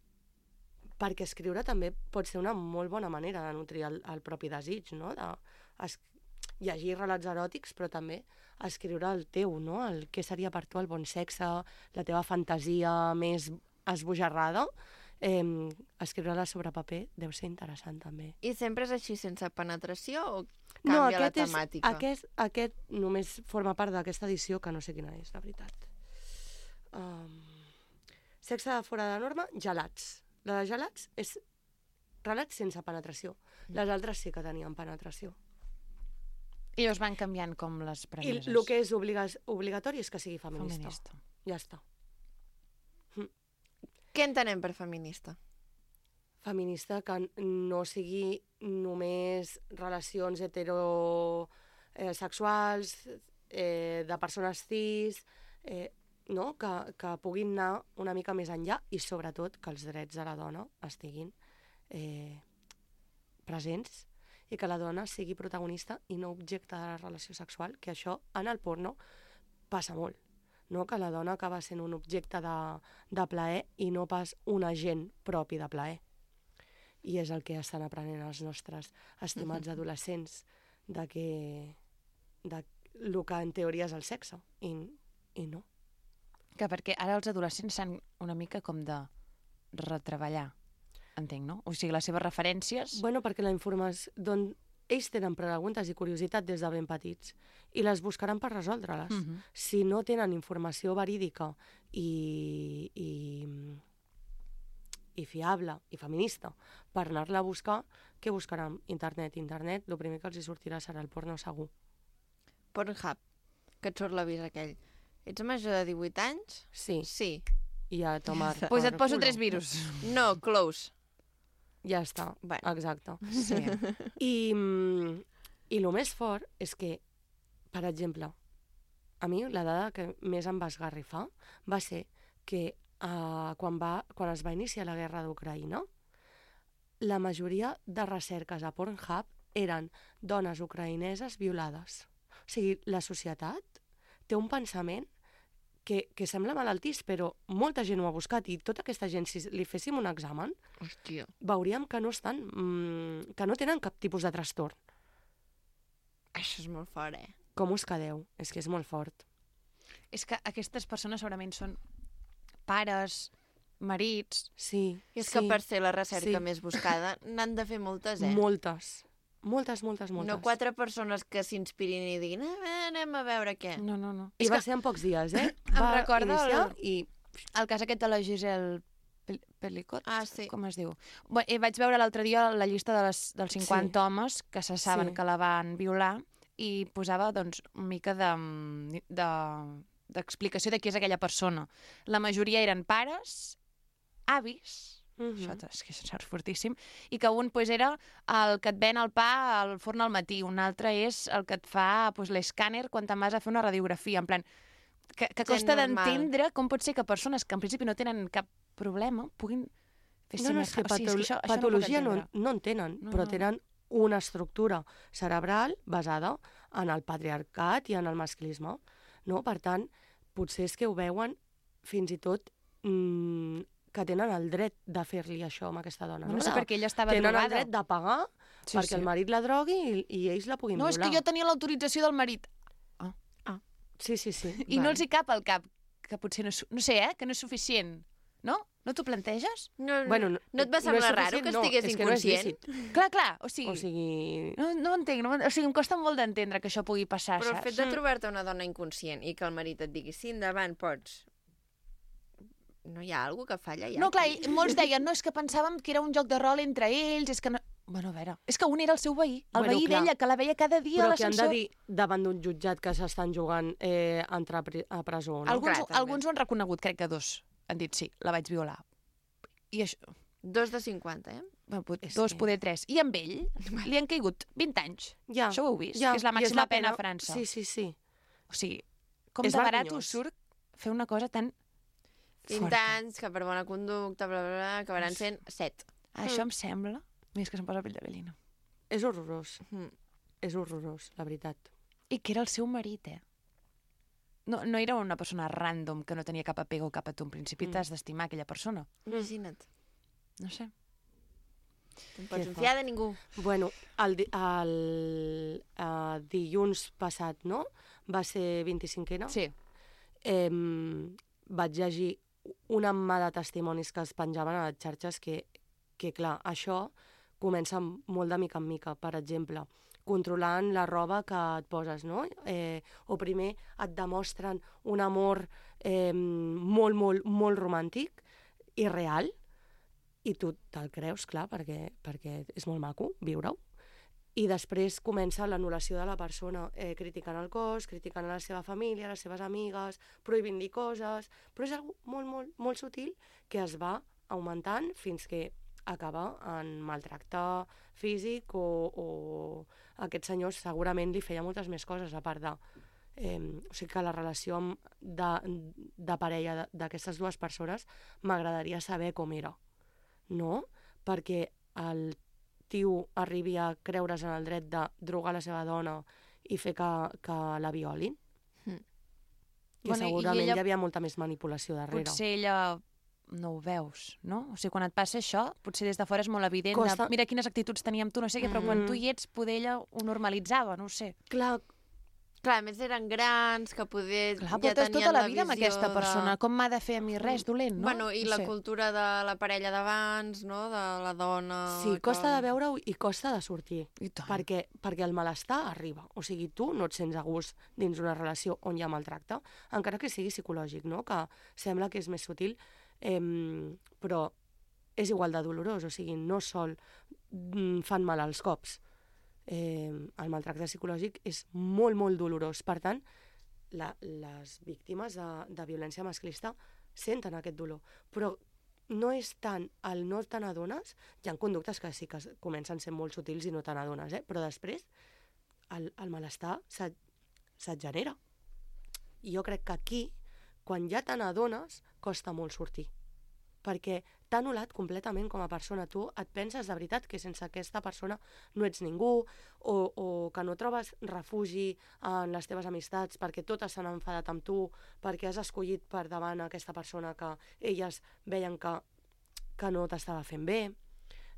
perquè escriure també pot ser una molt bona manera de nutrir el, el propi desig, no? De es, llegir relats eròtics, però també escriure el teu, no? El què seria per tu el bon sexe, la teva fantasia més esbojarrada, eh, escriure-la sobre paper deu ser interessant també. I sempre és així, sense penetració, o canvia la aquest temàtica? És, aquest, aquest només forma part d'aquesta edició, que no sé quina és, la veritat. Um, sexe de fora de norma, gelats. La de gelats és relats sense penetració. Les altres sí que tenien penetració. I llavors van canviant com les I premisses. el que és obliga obligatori és que sigui feminista. Feminista. Ja està. Què entenem per feminista? Feminista que no sigui només relacions heterosexuals, eh, de persones cis, eh, no? que, que puguin anar una mica més enllà i sobretot que els drets de la dona estiguin eh, presents i que la dona sigui protagonista i no objecte de la relació sexual, que això en el porno passa molt. No? Que la dona acaba sent un objecte de, de plaer i no pas un agent propi de plaer. I és el que estan aprenent els nostres estimats adolescents, de que de el que en teoria és el sexe, i, i no. Que perquè ara els adolescents s'han una mica com de retreballar, entenc, no? O sigui, les seves referències... Bueno, perquè la informació... Don... Ells tenen preguntes i curiositat des de ben petits i les buscaran per resoldre-les. Uh -huh. Si no tenen informació verídica i, i, i fiable i feminista per anar-la a buscar, què buscaran? Internet. Internet, el primer que els hi sortirà serà el porno segur. Pornhub, que et surt l'avís aquell. Ets major de divuit anys? Sí, Sí. i ja tomar Doncs pues et per poso culo. tres virus. No, close. Ja està, Bueno. exacte. Sí. I, mm, I el més fort és que, per exemple, a mi la dada que més em va esgarrifar va ser que uh, quan, va, quan es va iniciar la guerra d'Ucraïna, la majoria de recerques a Pornhub eren dones ucraïneses violades. O sigui, la societat té un pensament que, que sembla malaltís, però molta gent ho ha buscat i tota aquesta gent, si li féssim un examen, Hòstia. veuríem que no estan, mmm, que no tenen cap tipus de trastorn. Això és molt fort, eh? Com us quedeu? És que és molt fort. És que aquestes persones segurament són pares, marits... Sí, I és sí, que per ser la recerca sí. més buscada n'han de fer moltes, eh? Moltes. Moltes, moltes, moltes. No quatre persones que s'inspirin i diguin "Ah, anem a veure què". No, no, no. I És va que ser en pocs dies, eh? Em va recorda iniciar el- i... el cas aquest de la Giselle Pel Pelicot, Ah, sí. com es diu? Bé, eh, vaig veure l'altre dia la llista de les, dels cinquanta Sí. homes que se saben Sí. que la van violar i posava doncs, una mica de, de, d'explicació de qui és aquella persona. La majoria eren pares, avis, Mhm. això és que és fortíssim, i que un pues, era el que et ven el pa al forn al matí, un altre és el que et fa pues, l'escàner quan te'n vas a fer una radiografia, en plan, que, que Gent costa normal. d'entendre com pot ser que persones que en principi no tenen cap problema puguin fer No, no, és que, semeja- o sigui, és que això, això patologia no, no, no, no en tenen, No, però no. tenen una estructura cerebral basada en el patriarcat i en el masclisme. No? Per tant, potser és que ho veuen fins i tot mmm, que tenen el dret de fer-li això amb aquesta dona. no, No, sé De- perquè ella estava tenen drogada. el dret de pagar Sí, perquè sí. el marit la drogui i, i ells la puguin No, és violar. que jo tenia l'autorització del marit. Sí, sí, sí. I no els hi cap al cap, que potser no és, su- no sé, eh, que no és suficient. No? No t'ho planteges? No, Bueno, no, no et va no és semblar raro suficient, que no, estigués és que no és inconscient? lícit. Clar, clar, o sigui... O sigui... No, no ho entenc, no, ho entenc. O sigui, em costa molt d'entendre que això pugui passar, Però el saps? fet de trobar-te una dona inconscient i que el marit et digui sí, endavant, pots... No hi ha alguna que falla ja? No, clar, aquí? i molts deien, no, és que pensàvem que era un joc de rol entre ells, és que no... Bueno, a veure, és que un era el seu veí, el Bueno, veí clar. d'ella, que la veia cada dia a Però que han de l'ascensor. dir davant d'un jutjat que s'estan jugant eh, entrar a pri- a presó, no? Alguns, Clar, també. alguns ho han reconegut, crec que dos han dit sí, la vaig violar. I això, Dos de cinquanta, eh? bueno, pot- És dos, que- poder tres. I amb ell li han caigut vint anys. Ja, Això ho heu vist? ja, Que és la i màxima pena a França. Sí, sí, sí. O sigui, com És de barat vergonyós. us surt fer una cosa tan vint forta. anys, que per bona conducta, bla, bla, bla, acabaran sent set. Això em sembla... Més que se'm posa la pell de gallina. És horrorós. Mm. És horrorós, la veritat. I que era el seu marit, eh? No, no era una persona random que no tenia cap apego cap a tu. En principi Mm. t'has d'estimar aquella persona. Imagina't. No sé. No pots Que confiar de ningú. Bueno, el, di- el uh, dilluns passat, no? Va ser vint-i-cinquena. Sí. Eh, vaig llegir una mà de testimonis que es penjaven a les xarxes que, que clar, això comença molt de mica en mica. Per exemple, controlant la roba que et poses, no? Eh, o primer et demostren un amor eh, molt, molt, molt romàntic i real, i tu te'l creus, clar, perquè, perquè és molt maco viure-ho. I després comença l'anul·lació de la persona, eh, criticant el cos, criticant a la seva família, les seves amigues, prohibint dir coses, però és algo molt, molt, molt sutil que es va augmentant fins que acaba en maltracte físic o, o aquest senyor segurament li feia moltes més coses a part de... Eh, o sigui que la relació amb, de, de parella de- d'aquestes dues persones m'agradaria saber com era, no? Perquè el tio arribi a creure's en el dret de drogar la seva dona i fer que, que la violin. Mm. Que Bueno, i segurament ella- hi havia molta més manipulació darrere. Potser ella no ho veus, no? O sigui, quan et passa això, potser des de fora és molt evident. Costa- De, mira quines actituds teníem tu, no sé què, però Mm. quan tu hi ets, poder ella ho normalitzava, no ho sé. Clar, Clar, a més eren grans, que poder Clar, ja portes tenien tota la la vida amb visió aquesta persona. De... Com m'ha de fer a mi res dolent, no? Bueno, i no la sé. cultura de la parella d'abans, no? De la dona... sí, que- costa de veure-ho i costa de sortir. I tant. Perquè, perquè el malestar arriba. O sigui, tu no et sents a gust dins una relació on hi ha maltracte, encara que sigui psicològic, no? Que sembla que és més sutil, eh, però és igual de dolorós. O sigui, no sol mm, fan mal als cops. Eh, el maltracte psicològic és molt, molt dolorós. Per tant, la, les víctimes de, de violència masclista senten aquest dolor. Però no és tant el no te n'adones, hi ha conductes que sí que es- comencen sent molt sutils i no te n'adones, eh? Però després el, el malestar se't, se't genera. I jo crec que aquí, quan ja te n'adones, costa molt sortir. Perquè t'ha anul·lat completament com a persona. Tu et penses de veritat que sense aquesta persona no ets ningú, o, o que no trobes refugi en les teves amistats perquè totes s'han enfadat amb tu, perquè has escollit per davant aquesta persona que elles veien que, que no t'estava fent bé.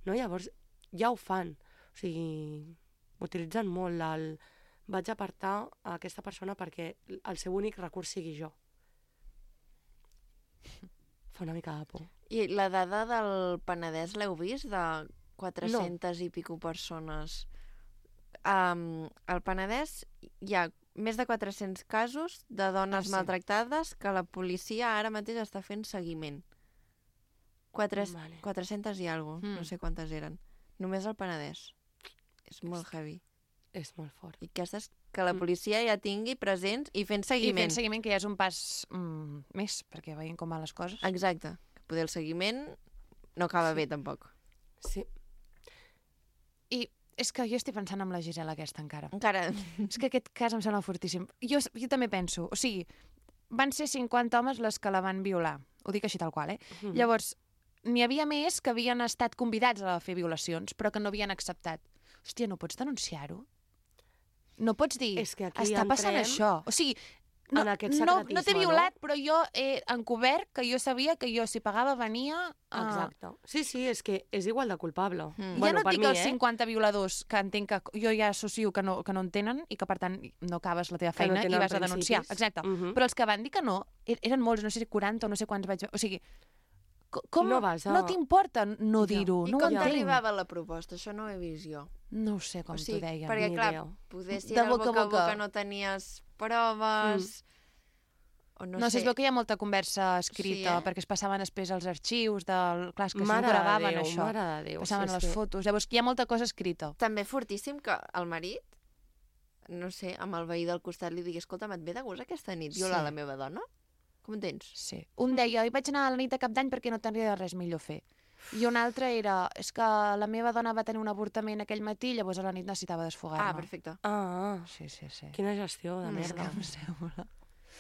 No? Llavors, ja ho fan. O sigui, utilitzen molt el... Vaig apartar a aquesta persona perquè el seu únic recurs sigui jo. Fa una mica de por. I la dada del Penedès l'heu vist? De quatre-centes no. i pico persones. Um, al Penedès hi ha més de quatre-cents casos de dones Ah, sí. maltractades que la policia ara mateix està fent seguiment. Quatre, Vale. quatre-centes i alguna cosa, Mm. no sé quantes eren. Només al Penedès. És molt heavy. És molt fort. I aquestes que la policia ja tingui presents i fent I seguiment. fent seguiment, que ja és un pas mm, més, perquè veiem com van les coses. Exacte. Que poder el seguiment no acaba bé, tampoc. Sí. I és que jo estic pensant en la Gisela aquesta encara. Encara... És que aquest cas em sembla fortíssim. Jo, jo també penso, o sigui, van ser cinquanta homes les que la van violar. Ho dic així tal qual, eh? Mhm. Llavors, n'hi havia més que havien estat convidats a fer violacions, però que no havien acceptat. Hòstia, no pots denunciar-ho? No pots dir, És que aquí està passant entrem això. O sigui, no, en aquest no, no t'he secretisme, violat, no? Però jo he encobert que jo sabia que jo, si pagava, venia... a- Exacte. Sí, sí, és que és igual de culpable. Mm. Ja Bueno, no et per dic mi, els eh? cinquanta violadors que entenc que jo ja associo que no, que no en tenen i que, per tant, no acabes la teva Que no feina i tenen vas a denunciar. principis. Exacte. Mhm. Però els que van dir que no, er- eren molts, no sé si quaranta o no sé quants vaig... O sigui, co- com No vas a- no t'importa no Ja. dir-ho? I No ho com entenc. t'arribava la proposta? Això no ho he vist jo. No ho sé com o sigui, t'ho deien. perquè, ni clar, idea. poder si De era boca a boca a boca. boca no tenies proves... O no, No, sé. si es veu que hi ha molta conversa escrita, Sí, eh? perquè es passaven després als arxius, del... clar, és que Mare segur de gravaven Déu, això. mare de Déu, Passaven sí, les sí. fotos. Llavors, hi ha molta cosa escrita. També fortíssim que el marit, no sé, amb el veí del costat li digui, escolta, et ve de gust aquesta nit violar Sí. la meva dona? Com ho tens? Sí. Un deia, hi vaig anar a la nit de cap d'any perquè no tenia res millor a fer. I un altre era, és que la meva dona va tenir un avortament aquell matí, llavors a la nit necessitava desfogar-me. Ah, perfecte. Ah, Sí, sí, sí. quina gestió de Mm, merda. Em sembla.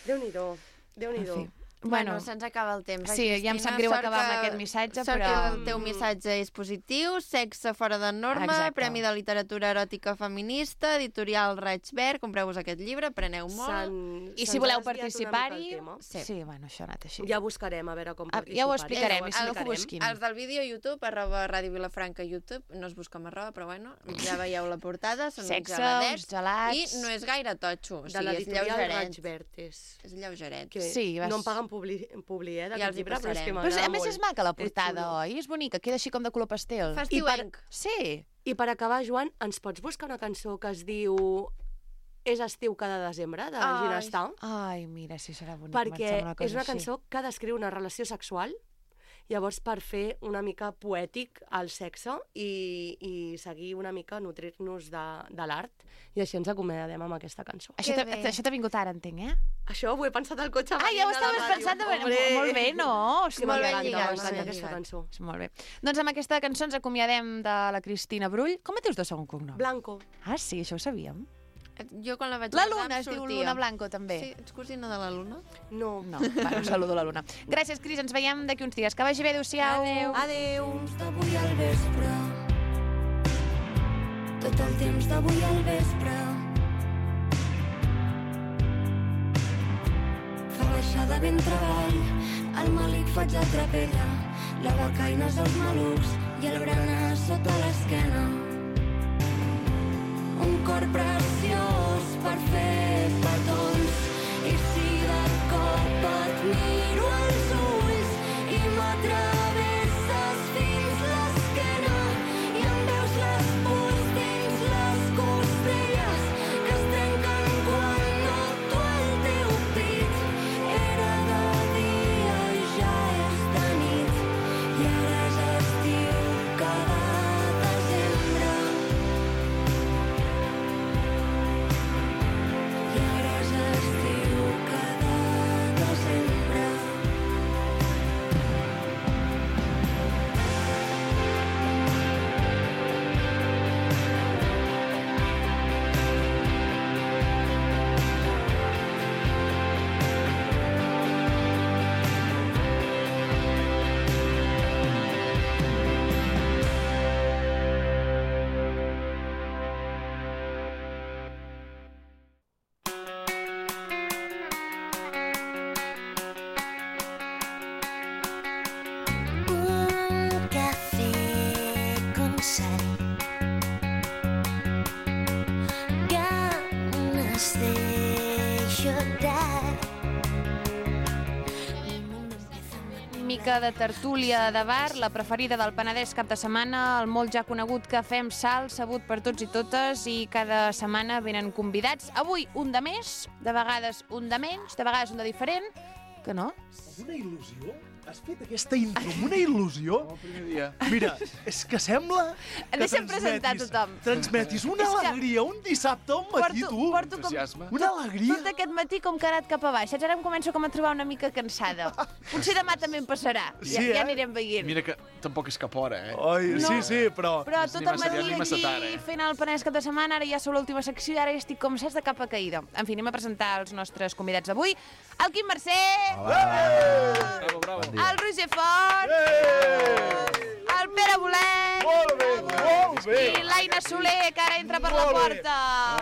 Déu-n'hi-do, Déu-n'hi-do. En fi. Bueno, Bueno, se'ns acaba el temps. sí, Ai, ja em Cristina, sap greu sort acabar amb que- aquest missatge, sort però- que el teu missatge és positiu, sexe fora de norma, Exacte. Premi de Literatura Eròtica Feminista, editorial Raig Verd, compreu-vos aquest llibre, preneu molt. S'han- I si se'ns voleu ha desviat una mica participar-hi... el tema. Sí. sí, bueno, això ha anat així. Ja buscarem a veure com Ah, participar. ja ho explicarem, Ja ho i si no, que explicarem. busquin. Els del vídeo YouTube, arroba Ràdio Vilafranca YouTube, no es busca amb arroba, però bueno, ja veieu la portada, són Sexe, uns geladets, uns gelats... i no és gaire totxo, o De sigui, és l'editorial lleugeret. Raig Verd és... És lleugeret. Que Sí, vas- no em paguen publi, publi eh, Ja d'aquest els hi llibre, però és que passarem. Però m'agrada a més molt. és maca la És portada, xulo. oi? És bonica, queda així com de color pastel. I per, Festiuenc. Sí. I per acabar, Joan, ens pots buscar una cançó que es diu És estiu cada desembre, de Ai. Ginestar? Ai, mira, sí, serà bonic. Perquè una és una així. cançó que descriu una relació sexual, llavors per fer una mica poètic el sexe i, i seguir una mica, nutrir-nos de, de l'art, i així ens acomiadem amb aquesta cançó. Això Que t'ha bé. això t'ha vingut ara, entenc, eh? Això ho he pensat al cotxe. Ah, venint ja ho de la estaves ràdio. pensant. De... Hombre. Molt bé, no? És que Molt ben m'encanta, lligat, m'encanta molt ben aquesta lligat. cançó. Molt bé. Doncs amb aquesta cançó ens acomiadem de la Cristina Brull. Com et dius de segon cognom? Blanco. Ah, sí, això ho sabíem. Jo quan la vaig La guardar Luna, em es diu sortia. Luna Blanco, també. Sí, ets cosina de la Luna? No. No, va, un saludo a la Luna. Gràcies, Cris, ens veiem d'aquí uns dies. Que vagi bé, adéu-siau. Adéu. Adéu. temps d'avui al vespre. Tot el temps d'avui al vespre. Fa baixada ben treball, el malic faig la trapella, la becaina és els malucs i el berenar sota l'esquena. Un cor preciós per fer petons, i si de cop et miro als ulls i m'atravesses fins l'esquena i em veus les pors dins les costelles que es trenquen quan noto el teu pit. Era de dia i ja és de nit i ara és estiu cada desembre. I ara és estiu cada desembre. Un café con sal, ganas de llorar. Mica de tertúlia de bar, la preferida del Penedès cap de setmana, el molt ja conegut Cafè amb Sal, sabut per tots i totes, i cada setmana venen convidats. Avui un de més, de vegades un de menys, de vegades un de diferent, que no? Una il·lusió? Has fet aquesta intro amb una il·lusió? El primer dia. Mira, és que sembla que Deixa'm presentar transmetis- tothom. Transmetis una És que alegria un dissabte al matí, Porto, tu. porto com, Entusiasme. Una alegria. tot aquest matí com que ha anat cap a baix. Saps? Ara em començo com a trobar una mica cansada. Potser demà també em passarà. Ja, Sí, eh? ja anirem veient. Mira que tampoc és cap hora, eh? Oi, No. sí, sí, però... Però És tot ni el massa matí llarg ni massa aquí tard, eh? fent el Penedès cap de setmana, ara ja sou l'última secció i ara ja estic com saps de capa caïda. En fi, anem a presentar els nostres convidats d'avui. El Quim Mercè, Bravo, bravo. el Roger Font, el Pere Bolet Molt bé, molt bé. i l'Aina Soler, que ara entra per la Molt bé. porta.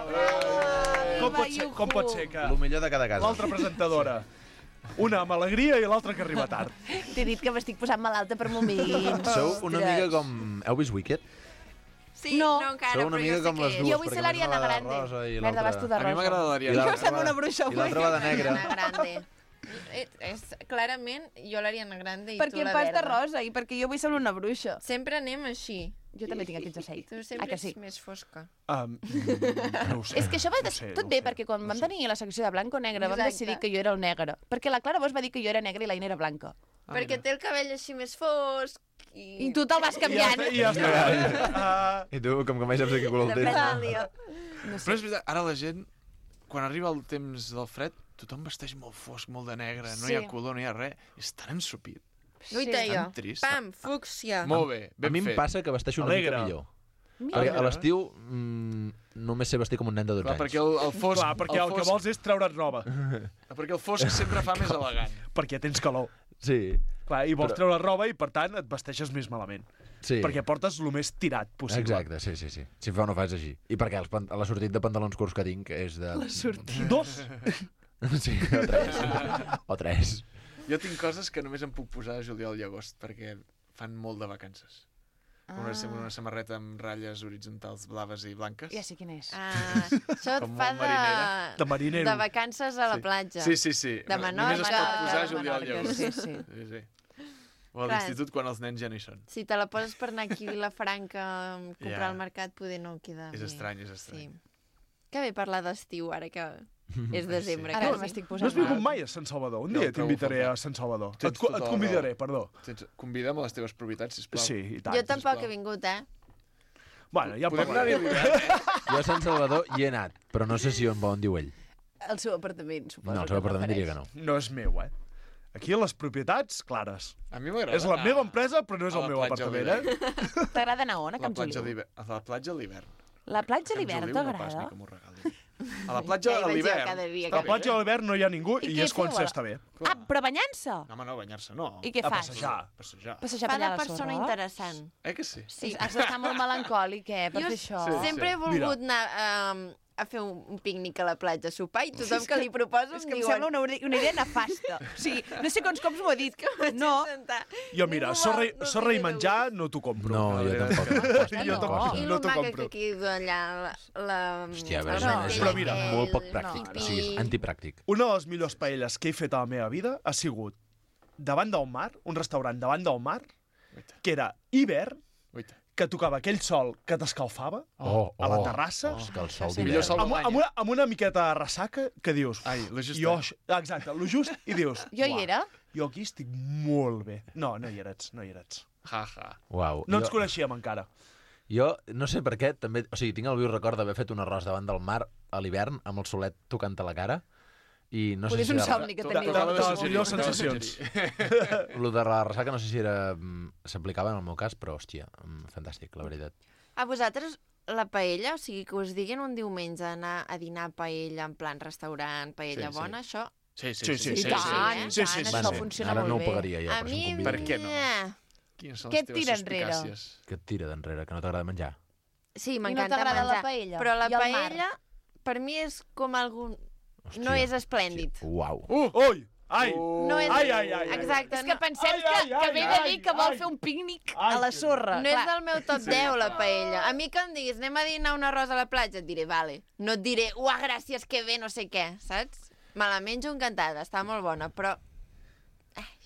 Bravo! Com pot, Viva, ser, com pot ser que El millor de cada casa. l'altra presentadora, una amb alegria i l'altra que arriba tard? T'he dit que m'estic posant malalta per moments. Sou una Ostres. mica com... Heu vist Wicked? Sí, No. no, encara, Sou una però mica jo sé com què les és. dues. Jo vull perquè ser l'Ariana una va de Grande. rosa i Merda, l'altra- vas tu de A mi rosa. m'agrada I l'Ariana. l'altra Jo sembla va- una bruixa I l'altra va de negra. Ariana Grande. És, és, clarament, jo l'Ariana Grande i perquè tu la em pasta verda. rosa i perquè jo vull ser una bruixa. Sempre anem així. Jo també tinc aquest jersei. Tu sempre Ah, que sí? ets més fosca. Um, no ho sé. És que això va no des... sé, tot no bé, sé, perquè quan no vam sé. tenir la secció de blanc o negre vam Exacte. decidir que jo era el negre. Perquè la Clara Bosch va dir que jo era negra i l'Aina era blanca. Ah, Perquè té el cabell així més fosc i... I tu te'l vas canviant. I ja està. I ja està. I tu, com que mai saps de quin color el Depèn tens. del dia. No Però és veritat, ara la gent, quan arriba el temps del fred, tothom vesteix molt fosc, molt de negre, no hi ha Sí. color, no hi ha res. És tan ensupit. Guaita Sí. jo. Tan trist. Pam, fúcsia. Molt bé, A ben mi em fet. passa que vesteixo una Alegre. mica millor. Mira. Perquè a l'estiu mm, només sé vestir com un nen de dotze Clar, anys. perquè el, el fosc... Clar, perquè el, el que fosc, vols és treure't roba. Perquè el fosc sempre fa més elegant. Perquè tens calor. Sí, Clar, i vols Però- treure roba i, per tant, et vesteixes més malament. sí. Perquè portes el més tirat possible. Exacte, sí, sí, sí. Si fa o no fa és així. I perquè els pan- la sortit de pantalons curts que tinc és de... La sortit. Dos. Sí, o tres. O tres. Jo tinc coses que només em puc posar a juliol i agost, perquè fan molt de vacances. Ah. Una, una samarreta amb ratlles horitzontals blaves i blanques. Ja sé quin és. Ah, això et Com fa molt marinera. de... De marinero. de vacances a la Sí. platja. Sí, sí, sí. De Només Menorca, es pot posar a de juliol i Menorca, agost. sí, sí. sí, sí. O a Clar. l'institut quan els nens ja no hi són. Si te la poses per anar aquí a Vilafranca a comprar Ja. al mercat, poder no queda És bé. estrany, és estrany. Sí. Que bé parlar d'estiu, ara que és desembre. Ara quasi. m'estic No posant has vingut mal. mai a Sant Salvador? Un No, dia trobo t'invitaré faltar. a Sant Salvador. Tens Et, co- tota et la convidaré, raó. perdó. Tens, convida'm a les teves propietats, sisplau. Sí, i tant. Jo tampoc sisplau. he vingut, eh? Bueno, ja Podem anar-hi a parlarem. l'hivern, eh? Jo a Sant Salvador hi he anat, però no sé si on, on diu ell. El seu apartament, suposo. No, el que seu es apartament refereix. diria que no. No és meu, eh? Aquí les propietats, clares. A mi m'agrada. És la anar meva empresa, però no és a el la meu platja a apartament, eh? l'hivern. T'agrada anar on, a A la Camp platja a Joliu? l'hivern. A la platja a l'hivern. La platja a Camp l'hivern Joliu no pas, t'agrada? ni que m'ho regali. A la platja Ja hi a vaig jo l'hivern. cada dia, Està A la bé. platja a l'hivern no hi ha ningú I i, què és quan feu, ara? s'està bé. Ah, però banyant-se? No, home, no, banyar-se no. I què A fas? passejar. Passejar. Passejar Fa per allà de a la persona sorra? interessant. Eh que sí? Sí. Has d'estar molt melancòlic, eh, per Jo fer això. Sí. sempre he volgut anar um, a fer un, un pícnic a la platja, a sopar, i tothom que li proposo És em que em diuen... sembla una, una idea nefasta. O sigui, no sé quants cops m'ho he dit. No, Jo, mira, Ningú sorra, vol- no sorra i té de menjar no t'ho compro. No, La jo veritat és tampoc. que- No. Jo tampoc I no el t'ho maca compro. que quedo allà, la... la Hòstia, a el veure, és, rotell és, Però mira, aquell, molt poc no. pràctic. I- O sigui, és antipràctic. Una de les millors paelles que he fet a la meva vida ha sigut davant del mar, un restaurant davant del mar, Guaita, que era hivern, guaita. que tocava aquell sol que t'escalfava, Oh, a la oh. terrassa. Oh, és que el sol Això d'hivern. Millor sol amb, d'any, amb, eh? una, amb una miqueta de ressaca que dius... Ai, lo just, jo, eh? això- exacte, lo just, i dius... Jo hi "Uah, era. Jo aquí estic molt bé. No, no hi eres, no hi eres. Ja, ja. Uau. No ens jo, coneixíem encara. jo no sé per què, també... O sigui, tinc el viu record d'haver fet un arròs davant del mar a l'hivern, amb el solet tocant a la cara, i no sé Potser és si un era... somni que To- teniu. tocava de de les suggerir, millors tocava de sensacions. suggerir. Lo de la ressaca no sé si era... mm, s'aplicava en el meu cas, però, hòstia, mm, fantàstic, la veritat. A vosaltres, la paella, o sigui, que us diguin un diumenge anar a dinar paella en plan restaurant, paella Sí, sí. bona, això... Sí, sí, Sí, sí. sí, I sí, tant, sí. i Sí, tant, sí, sí. això Bueno, funciona ara molt no ho bé. pagaria jo, a però si mi... em Per conviden. què no? eh, Quines són Què les et teves tira enrere? suspicàcies? Que et tira d'enrere, que no t'agrada menjar. Sí, I no m'encanta t'agrada menjar. la paella? Però la I el mar? paella, per mi, és com algun... Hòstia, No és esplèndid. hòstia, Uau. Uh! Ui! Ai! No és... Ai, ai, ai, ai. Exacte. És que no, pensem Ai, que, ai, que ai, ve de ai, dir que vol ai. fer un pícnic Ai, a la que- sorra. no és Clar. del meu top deu, la paella. A mi que em diguis, anem a dinar un arròs a la platja, et diré, vale. No et diré, uah, gràcies, que bé, no sé què, saps? Me la menjo encantada, està molt bona, però...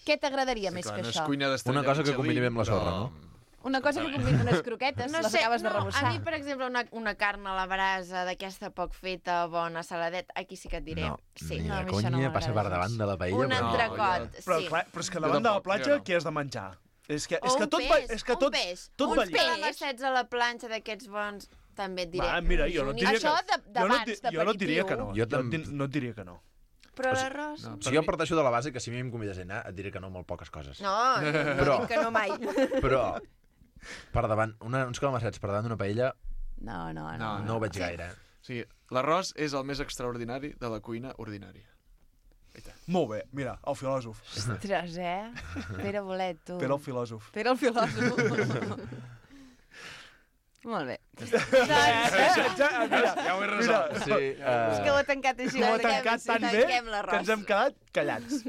Què t'agradaria Sí, més clar, que no és això? cuina d'estrella Una cosa que Michelin, combini bé amb la sorra, però- no? Una cosa que combina unes croquetes, No les sé, acabes de no, rebossar. a mi, per exemple, una, una carn a la brasa d'aquesta poc feta, bona, saladet, aquí sí que et diré. No, sí. ni No, a de mi això no conya passa per m'agrada davant gens. de la paella. Un però- entrecot, Però, sí. clar, però és que Jo davant de la tampoc, platja, jo no. què has de menjar? És que, O és que un tot, peix, va, és que tot, un peix. tot Uns va lligat. calamassets a la planxa d'aquests bons, també et diré. Va, mira, jo no et diria Això que... de- jo no, et d'abans, di- jo no et diria que no. Jo Jo, tam- et di- no et diria que no. Però O sigui, l'arròs... no. O sigui, jo parteixo de la base que si a mi em convides a anar et diré que no molt poques coses. No, no, no Però- dic que no mai. Però, per davant, una, uns calamassets per davant d'una paella No, no, no. No, no ho veig gaire. O sigui, l'arròs és el més extraordinari de la cuina ordinària. Molt bé, mira, el filòsof. Ostres, eh? Pere Bolet, tu. Pere el filòsof. Pere el filòsof. Molt bé. Ja, ja, mira, Ja ho he mira, resolt. Sí, És que ho uh, he tancat així. ho ha ho he tancat. tancat tan bé tanquem que l'arròs. ens hem quedat callats.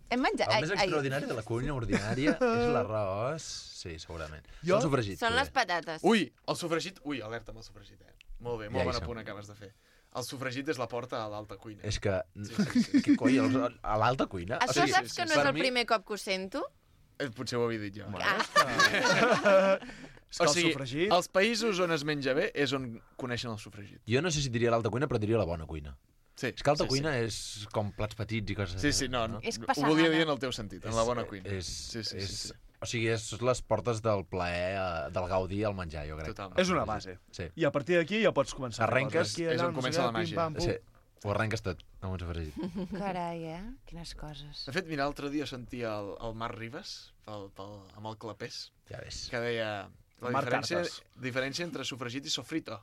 Hem menjat... el més ai, ai. extraordinari de la cuina ordinària és l'arròs. Sí, segurament. Jo- El sofregit. Són poder. les patates. Ui, el sofregit... Ui, alerta amb el sofregit, eh? Molt bé, molt Ja hi bon som. apunt acabes de fer. El sofregit és la porta a l'alta cuina. És que... Sí, sí, sí. Què coi, a l'alta cuina? Això saps que no és el primer cop que ho sento? Eh, Potser ho havia dit jo. Ah. O sigui, els països on es menja bé és on coneixen el sofregit. Jo no sé si diria l'alta cuina, però diria la bona cuina. Sí, és que alta sí, cuina sí. és com plats petits i coses... Sí, sí, no, no. És ho volia dir en el teu sentit, en la bona cuina. És, Sí, sí, sí, és, sí. O sigui, és les portes del plaer, eh, del gaudi al menjar, jo crec. Totalment. És una base. Sí. I a partir d'aquí ja pots començar. Arrenques, Aquí, és allà, on no sé comença què, la màgia. pim, pam, pum. Sí, ho arrenques tot amb un sofregit. Carai, eh? Quines coses. De fet, mira, l'altre dia sentia el, el Marc Ribas, pel, pel, amb el clapés, Ja ves. que deia la Marc diferència, Cartes. diferència entre sofregit i sofrito.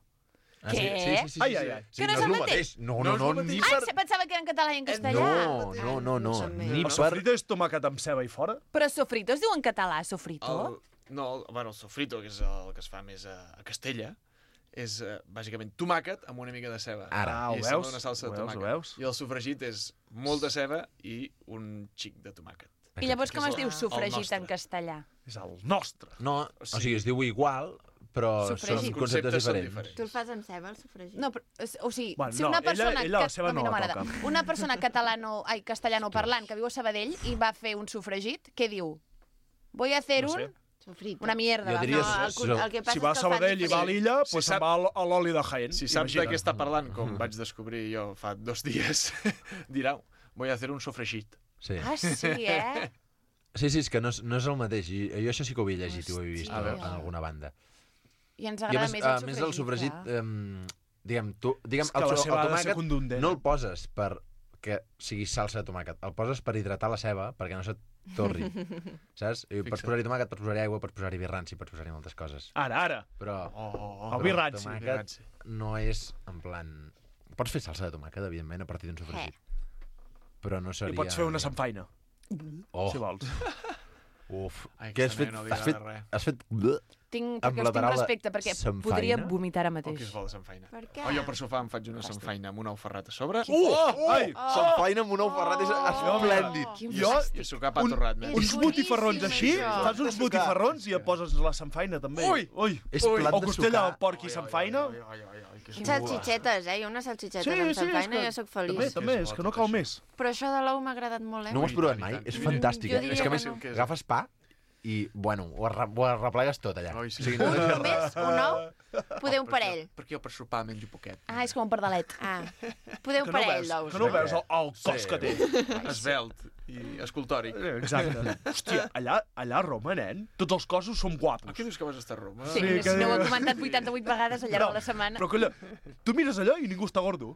Ah, Què? Sí, sí, sí, sí, Ai, sí, ai, sí. ai. Sí, Que no és és el lo mateix? No, No no, és no, el ni mateix. Ah, per... se pensava que era en català i en castellà. No, no, no, no, ni El per... sofrito és tomàquet amb ceba i fora? Però sofrito es diu en català, sofrito? El, no, el, bueno, el sofrito, que és el que es fa més a, a Castella, és uh, bàsicament tomàquet amb una mica de ceba. Ara, Ah, ho I sembla veus? una salsa Ho de veus, tomàquet. ho veus? I el sofregit és molta ceba i un xic de tomàquet. I llavors com que es és diu el- el sofregit nostre. en castellà? És el nostre. No, o sigui, es diu igual, però Sofregit. són Els conceptes conceptes són diferents. diferents. Tu el fas amb ceba, el sofregit? No, però, es- o sigui, Bueno, si no, una ella- persona... ella la que- seva a mi no la m'agrada. toca. Una persona catalano, ai, castellano parlant que viu a Sabadell i va fer un sofregit, què diu? Voy a hacer No un... sé. Sofrito. Una mierda. Jo va. diria No, el, so- el que passa Si va a és que el fan Sabadell i va a diferent. l'illa, Si doncs sap- se'n va a l- a l'oli de Jaén. Si saps de imagina't. què està parlant, com vaig descobrir jo fa dos dies, dirà, voy a hacer un sofregit. Sí. Ah, sí, eh? Sí, sí, és que no és, no és el mateix. I, jo això sí que ho havia llegit i ho he vist Hòstia. en alguna banda. I ens I a agrada més, més, a el més del sofregit, clar. eh, diguem, tu, diguem, És que el, la el, ceba ha de ser tomàquet contundent. no el poses per que sigui salsa de tomàquet, el poses per hidratar la ceba perquè no se't torri, saps? I pots Fixa't. posar-hi tomàquet, pots posar-hi aigua, pots posar-hi vi ranci, pots posar-hi moltes coses. Ara, ara. Però Oh, oh, El oh. vi però ranci. tomàquet vi ranci. no és en plan... Pots fer salsa de tomàquet, evidentment, a partir d'un sofregit. Però no seria... I pots fer una samfaina, Oh, si vols. uf. Ai, Què has aquesta fet? nena no li Has fet, agrada res. has fet... bleh. Tinc, amb perquè la us tinc paraula respecte, perquè samfaina? podria vomitar ara Oh, mateix. que és bo la samfaina. Per què? Oh, jo per sopar em faig una samfaina amb un ou ferrat a sobre. Uh! Oh! Ai! Samfaina amb un ou ferrat és esplèndid. Jo, I a sucar pa torrat. un- nen. uns botifarrons així, això. fas uns botifarrons i ja poses la samfaina, també. Ui! Ui! És Ui! plat O de costella sucar. de porc i samfaina. Ai, ai, ai, ai, que és Salxitxetes, eh? Jo unes salxitxetes Sí, amb sí, és samfaina que... jo sóc També, feliç. també, és que no cal més. Però això de l'ou m'ha agradat molt, eh? No ho has Ui, provat tant i mai? tant. És Mm, fantàstic. jo eh? diria És que a que més, no. agafes pa i, bueno, ho, arra ho arreplegues tot allà. Ai, sí. O sigui, Un no... només? Un ou? Poder un parell. Perquè jo per sopar menjo poquet. Ah, és com un pardalet. Ah, poder Que un no parell veus, d'ous. que no veus el, el cos Sí. que té. Esbelt i escultòric. Exacte. Hòstia, allà, allà a Roma, nen, tots els cossos són guapos. Ah, què dius que vas estar a Roma? Sí, Sí, sí que- no ho he comentat vuitanta-vuit vegades al llarg de la setmana. Però que allà, tu mires allò i ningú està gordo.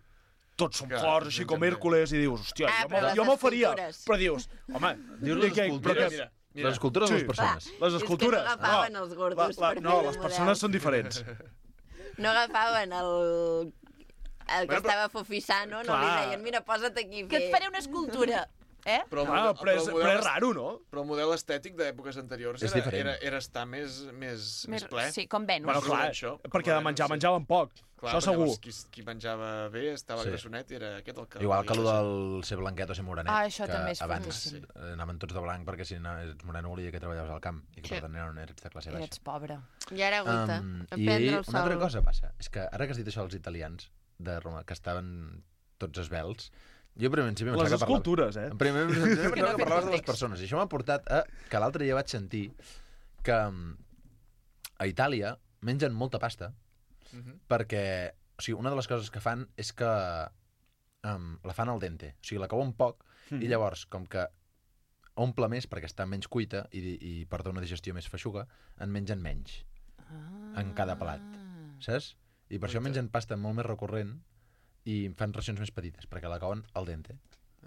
Tots són Clar, forts, així com també. Hèrcules, i dius, hòstia, Ah, jo, però m'ho- les jo m'ho faria. escultures. Però dius, home, Dius i les què- escultures. però què- Mira, mira. Les escultures o les Sí. persones? Les escultures. És que no agafaven no, els gordos la, la, per no, fer les el persones model. són diferents. No agafaven el... El que Bueno, però- estava fofissant, no? No Clar. li deien, mira, posa't aquí. Que et faré una escultura, eh? Però, el Ah, model- però és, el però model és raro, no? Però el model estètic d'èpoques anteriors És era, diferent. era, era estar més, més, més ple. Sí, com Venus. Bueno, clar, Això, perquè de menjar sí. menjaven poc. Clar, Això però segur. llavors Qui, qui menjava bé estava Sí. sí. grassonet i era aquest el que... Igual que volia el la del ser blanquet o ser morenet. Ah, això que també és abans fortíssim. eh, anaven tots de blanc perquè si no ets moreno volia que treballaves al camp i que Sí. per tant eren eres de classe baixa. Ets pobre. I ara aguanta. Um, a I prendre el una sol. altra cosa passa, és que ara que has dit això dels italians de Roma, que estaven tots esvelts, jo primer principi Les pensava que parlava... escultures, eh? En primer principi Que no pensava ha que fet parlaves de les context. persones, i això m'ha portat a que l'altre dia vaig sentir que mm, a Itàlia mengen molta pasta Mhm. perquè, o sigui, una de les coses que fan és que um, la fan al dente, o sigui, la couen poc Mm. i llavors, com que omple més perquè està menys cuita i, i porta una digestió més feixuga, en mengen menys Ah. en cada plat, saps? I per això mengen pasta molt més recurrent i fan racions més petites, perquè la cauen al dente.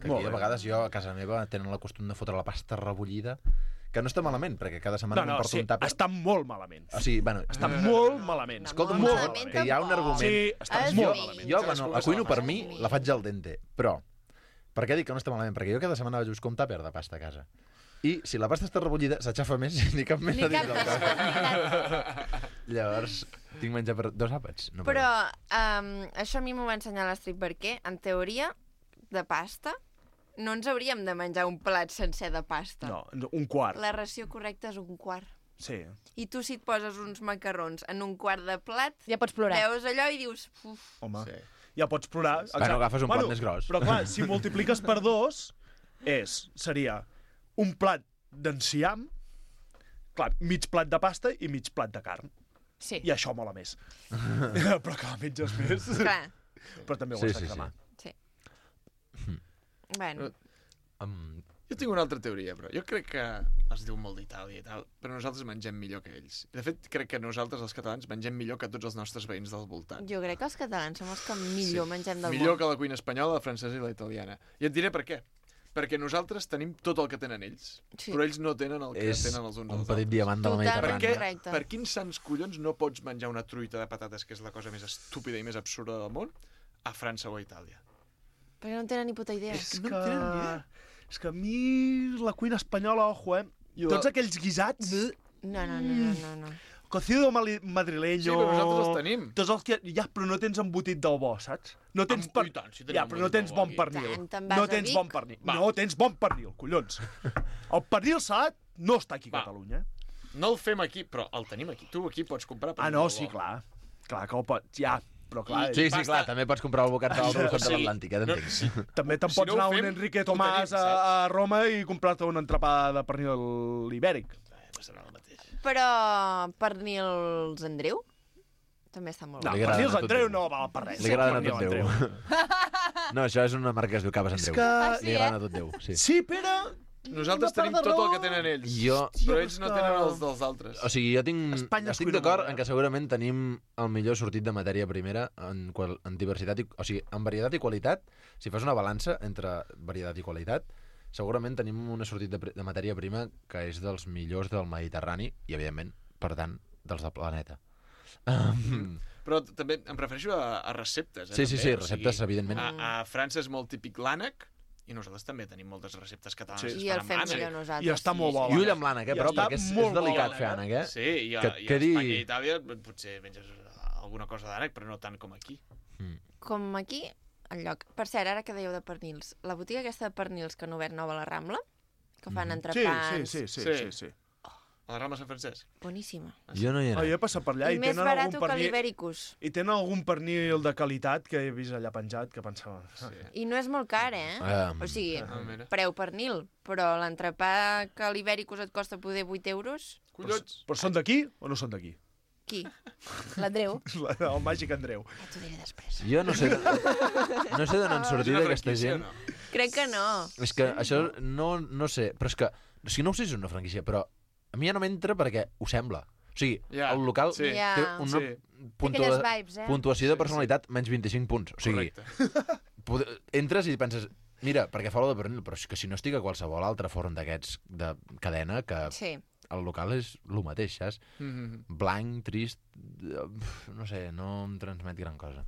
Que Molt aquí, a bé. vegades, jo a casa meva tenen la costum de fotre la pasta rebullida, que no està malament, perquè cada setmana No, no, no, porto sí, un tàper. està molt malament. O sigui, bueno, Està molt malament. escolta, Molt molt, malament que hi ha un tampoc. argument. Sí, està Es molt menja. malament. Jo, Cadascú bueno, que la se cuino la per faci. mi, la faig al dente, però per què dic que no està malament? Perquè jo cada setmana vaig buscar un tàper de pasta a casa. I si la pasta està rebullida, s'aixafa més i ni cap més Ni a dins cap del més, tàper. Llavors, tinc menjar per dos àpats. No per Però um, això a mi m'ho va ensenyar l'Astrid perquè, en teoria, de pasta, no ens hauríem de menjar un plat sencer de pasta. No, un quart. La ració correcta és un quart. Sí. I tu, si et poses uns macarrons en un quart de plat, Ja pots plorar. veus allò i dius... Uf, Home. Sí. ja pots plorar. Bueno, agafes un plat més gros. Però clar, si multipliques per dos, és, seria un plat d'enciam, clar, mig plat de pasta i mig plat de carn. Sí. I això mola més. Però clar, menges més. Clar. Però també ho Sí, has de sí, cremar. Sí. Bueno. Um, Jo tinc una altra teoria, però jo crec que es diu molt d'Itàlia i tal, però nosaltres mengem millor que ells. De fet, crec que nosaltres, els catalans, mengem millor que tots els nostres veïns del voltant. Jo crec que els catalans som els que millor sí. mengem del Millor món. que la cuina espanyola, la francesa i la italiana. I et diré per què. Perquè nosaltres tenim tot el que tenen ells, Sí. però ells no tenen el que és tenen els uns un als petit altres. diamant de la Totalment Per, Mediterrània. què, correcte. per quins sants collons no pots menjar una truita de patates, que és la cosa més estúpida i més absurda del món, a França o a Itàlia? Perquè no en tenen ni puta idea. És no que... en tenen ni idea. És que a mi la cuina espanyola, ojo, eh? I la- Tots aquells guisats... No, no, no, no, no. no. Cocido mali- madrileño... Sí, però nosaltres els tenim. Tots els que... Ja, però no tens embotit del bo, saps? No tens Am- i tant, si tenim ja, però no embotit tens del bo bon aquí. pernil. Tant, te'n vas No a tens Vic? bon pernil. Va. No tens bon pernil, collons. El pernil salat no està aquí a Va. Catalunya. No el fem aquí, però el tenim aquí. Tu aquí pots comprar... Ah, no, sí, clar. Clar que el pots... Ja, però clar... Sí, sí, Basta. clar, també pots comprar el bocat al costat Sí. de l'Atlàntic, eh, No, t'entenc. sí. També te'n Si pots no ho anar a un fem, Enrique ho Tomàs tenim, a, a Roma i comprar-te un entrepà de pernil ibèric. Eh, no serà el mateix. Però pernils Andreu també està molt No, Li bé. agraden pernils a tot Andreu Déu. no val per res. Li agraden a Pernil tot Déu. No, això és una marca que es diu Caves És Andreu. que... Ah, sí, Li eh? agraden a tot Déu, sí. Sí, Pere... Nosaltres Una part tenim de tot el raó. que tenen ells, Jo... però Hòstia, ells no però és tenen que- els dels altres. O sigui, jo tinc... Espanya és estic cuina d'acord molt, en que segurament tenim el millor sortit de matèria primera en, qual, en diversitat, i, o sigui, en varietat i qualitat. Si fas una balança entre varietat i qualitat, segurament tenim una sortit de, pri- de matèria prima que és dels millors del Mediterrani i, evidentment, per tant, dels del planeta. Um, Però també em refereixo a, a receptes. Eh, sí, sí, també. sí, O receptes, sigui, evidentment. A, a França és molt típic l'ànec, i nosaltres també tenim moltes receptes catalanes. Sí. que I es el fan fem amb ànec. millor nosaltres. I està molt bo. I ull amb l'ànec, eh, I però, està perquè és, molt és delicat bo, fer ànec, eh? Sí, i a, Que i a quedi- Espanya i Itàlia potser menges alguna cosa d'ànec, però no tant com aquí. Com aquí, al lloc. Per cert, ara que dèieu de pernils, la botiga aquesta de pernils que han obert nova a la Rambla, que fan Sí, entrepans... sí, sí, sí, Sí. sí, sí. A la Rambla Sant Francesc. Boníssima. Jo no hi he Oh, anat. jo he passat per allà I, i, més tenen barat algun que pernil... l'Ibericus. I tenen algun pernil de qualitat que he vist allà penjat que pensava... Sí. I no és molt car, eh? Ah, o sigui, Ah, mira. preu pernil, però l'entrepà que a l'Ibericus et costa poder vuit euros, Collons! Però són d'aquí o no són d'aquí? qui? L'Andreu. El màgic Andreu. Ja t'ho diré després. Jo no sé, no sé d'on han És sortit una aquesta franquícia, gent. no? Crec que no. És que això no, no sé, però és que... O sigui, no ho sé si és una franquícia, però a mi ja no m'entra perquè ho sembla. O sigui, Ja, el local sí. Ja. té una Sí. puntua, aquelles vibes, eh? puntuació de personalitat menys vint-i-cinc punts. O sigui, Correcte. pode- entres i penses... Mira, perquè fa olor de pernil, però és que si no estic a qualsevol altre forn d'aquests de cadena, que Sí. el local és el mateix, saps? Mhm. Blanc, trist... eh, No sé, no em transmet gran cosa.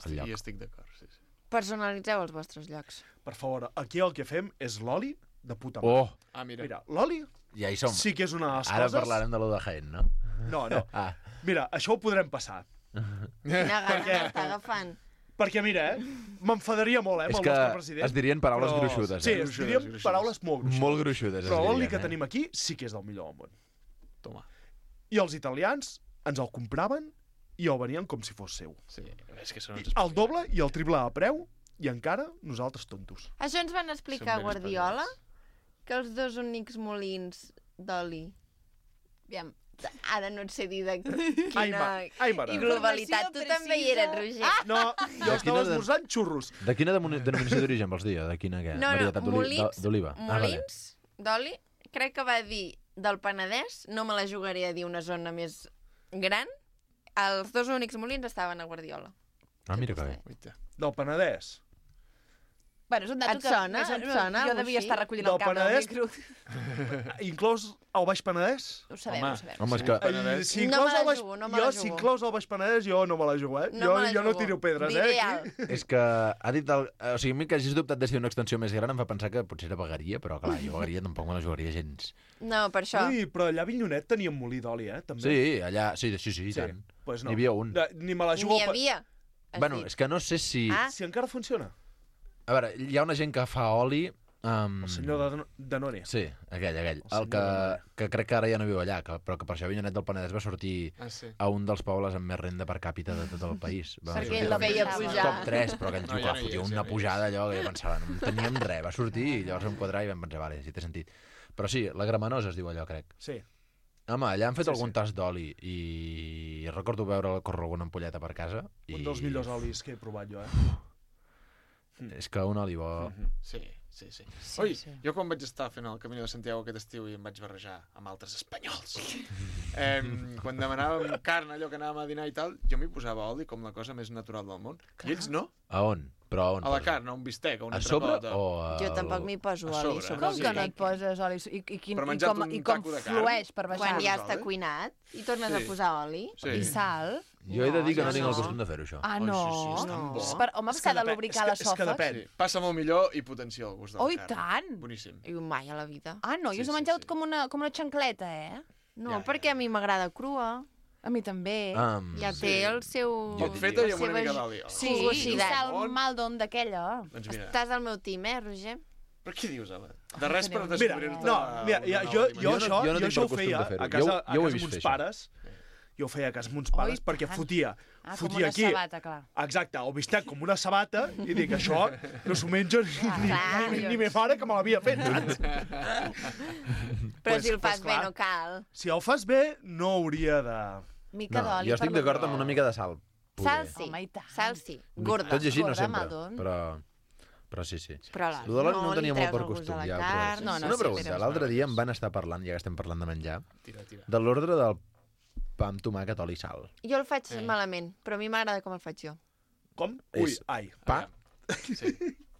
El Sí, lloc. estic d'acord, sí, sí. Personalitzeu els vostres llocs. Per favor, aquí el que fem és l'oli de puta mare. Oh, Ah, mira. Mira, l'oli ja hi som. sí que és una de les Ara coses... parlarem de lo de Jaén, no? No, no. Ah, Mira, això ho podrem passar. Quina gana què? m'està agafant. Perquè, mira, eh, m'enfadaria molt, eh, amb és el que nostre president. es dirien paraules però... gruixudes, Sí, eh? es Gruixudes, dirien gruixudes. paraules molt gruixudes. Molt gruixudes, es Però l'oli dirien, que eh? tenim aquí sí que és del millor del món. Toma. I els italians ens el compraven i el venien com si fos seu. Sí, és que són I uns el doble i el triple de preu i encara nosaltres tontos. Això ens van explicar a Són ben Guardiola, espavilats. que els dos únics molins d'oli... Aviam, ara no et sé dir de quina Ai, ma- ai, mare. i globalitat. Tu també hi eres, Roger. Ah! No, jo estava quina de- esmorzant xurros. De quina demoni- denominació d'origen vols dir? De quina què? No, no, Varietat d'oli- molins, de- d'oliva. Ah, vale. molins d'oli, crec que va dir del Penedès, no me la jugaré a dir una zona més gran, els dos únics molins estaven a Guardiola. Ah, mira que bé. Oita. Del Penedès. Bueno, és un dato Et que... sona? més- Et sona, Jo algú devia així? estar recollint Del el camp del Penedès? micro. Inclòs el Baix Penedès? Ho sabem, Home. ho sabem. Home, és que... Ai, si No inclòs me la el Baix... jugo, no me jo, la si jugo. inclòs el Baix Penedès, jo no me la jugo, eh? No jo, me la jo no jugo. tiro pedres, Diré eh? alt. Aquí. És que ha dit... El... O sigui, a mi que hagis dubtat de si una extensió més gran em fa pensar que potser era vegueria, però clar, jo vegueria tampoc me la jugaria gens. No, per això. Ui, però allà a Avinyonet teníem molí d'oli, eh? També. Sí, allà... Sí, sí, sí, i Sí, tant. pues no. N'hi havia un. De, ni me la jugo... N'hi per- havia. has Bueno, dit. és que no sé si... Ah. Si encara funciona. A veure, hi ha una gent que fa oli Um, El senyor de Danone. Sí, aquell, aquell. El El que, que crec que ara ja no viu allà, que, però que per això Avinyonet del Penedès va sortir Ah, sí. a un dels pobles amb més renda per càpita de tot el país. Va Perquè sortir la com feia top pujar. tres, però aquell No, tio ja que no hi fotia és, ja una no hi pujada allò que jo pensava, no en teníem res, va sortir i llavors vam quadrar i vam pensar, vale, sí té sentit. Però sí, la Gramanosa es diu allò, crec. Sí. Home, allà han fet Sí, algun sí. tast d'oli i recordo veure córrer alguna ampolleta per casa. I... Un dels millors olis que he provat jo, eh? És que un oli bo... Sí, sí, sí. Sí, Oi, sí. jo quan vaig estar fent el Camí de Santiago aquest estiu i em vaig barrejar amb altres espanyols, eh, quan demanàvem carn, allò que anàvem a dinar i tal, jo m'hi posava oli com la cosa més natural del món. I ells no. A on? Però a on? A la posa? carn, a un bistec, a una A sobre trapota. o a... Jo tampoc m'hi poso a oli sobre, sobre Com el que no et bistec. poses oli? I, i, quin, Per i menjar-te com, un i com taco de carn. flueix per baixar? Quan ja Posar està oli? cuinat i tornes Sí. a posar oli. Sí. I sal? Jo he de dir que no, No, tinc el no. costum de fer-ho, això. Ah, Oi, no. sí, sí, és tan No. bo. És per, home, És que s'ha de depèn, lubricar és que- és que l'esòfag. depèn. Sí. Passa molt millor i potencia el gust de la Oi, carn. tant! Boníssim. I mai a la vida. Ah, no, jo Sí, us he sí, menjat sí. com, una, com una xancleta, eh? No, Ja, ja, perquè a mi m'agrada crua. A mi també. Um, Ja té el seu... Poc feta i amb una la mica seva d'oli. Sí, Sí, i sí, sal bon. maldon d'aquella. Doncs mira, Estàs al meu team, eh, Roger? però què dius, Ala? De res per teniu- Mira, descobrir-te... no, mira, ja, una jo, nova jo, Jo no- això, jo no jo tinc això ho per costum feia de fer-ho. a casa, Jo- a jo ho he casa vist amb fer, uns això. pares. Jo ho feia a casa amb uns pares Oi, perquè tant. fotia, Ah, com fotia una aquí, sabata, clar. exacte, el bistec com una sabata i dic, això no s'ho menja ni, ni, clar, ni, jo- ni me mare que me l'havia fet, saps? Però Pues- si el pues fas bé clar. no cal. Si el fas bé, no hauria de... Mica no, d'oli. jo estic per la- d'acord amb una mica de sal. Sal poder. sí, Home, i tant. sal sí. Gorda. Tot i així no Gorda, sempre, Madon. però... Però sí, sí. Però la, Lo de l'oli no, no ho tenia li molt treus per el gust costum, de la ja. carn. Però... No, no, una sí, pregunta, però- l'altre dia em van estar parlant, ja que estem parlant de menjar, Tira, tira. de l'ordre del pa amb tomàquet, oli i sal. Jo el faig Eh. malament, però a mi m'agrada com el faig jo. Com? Ui, És- ai. Pa, Sí.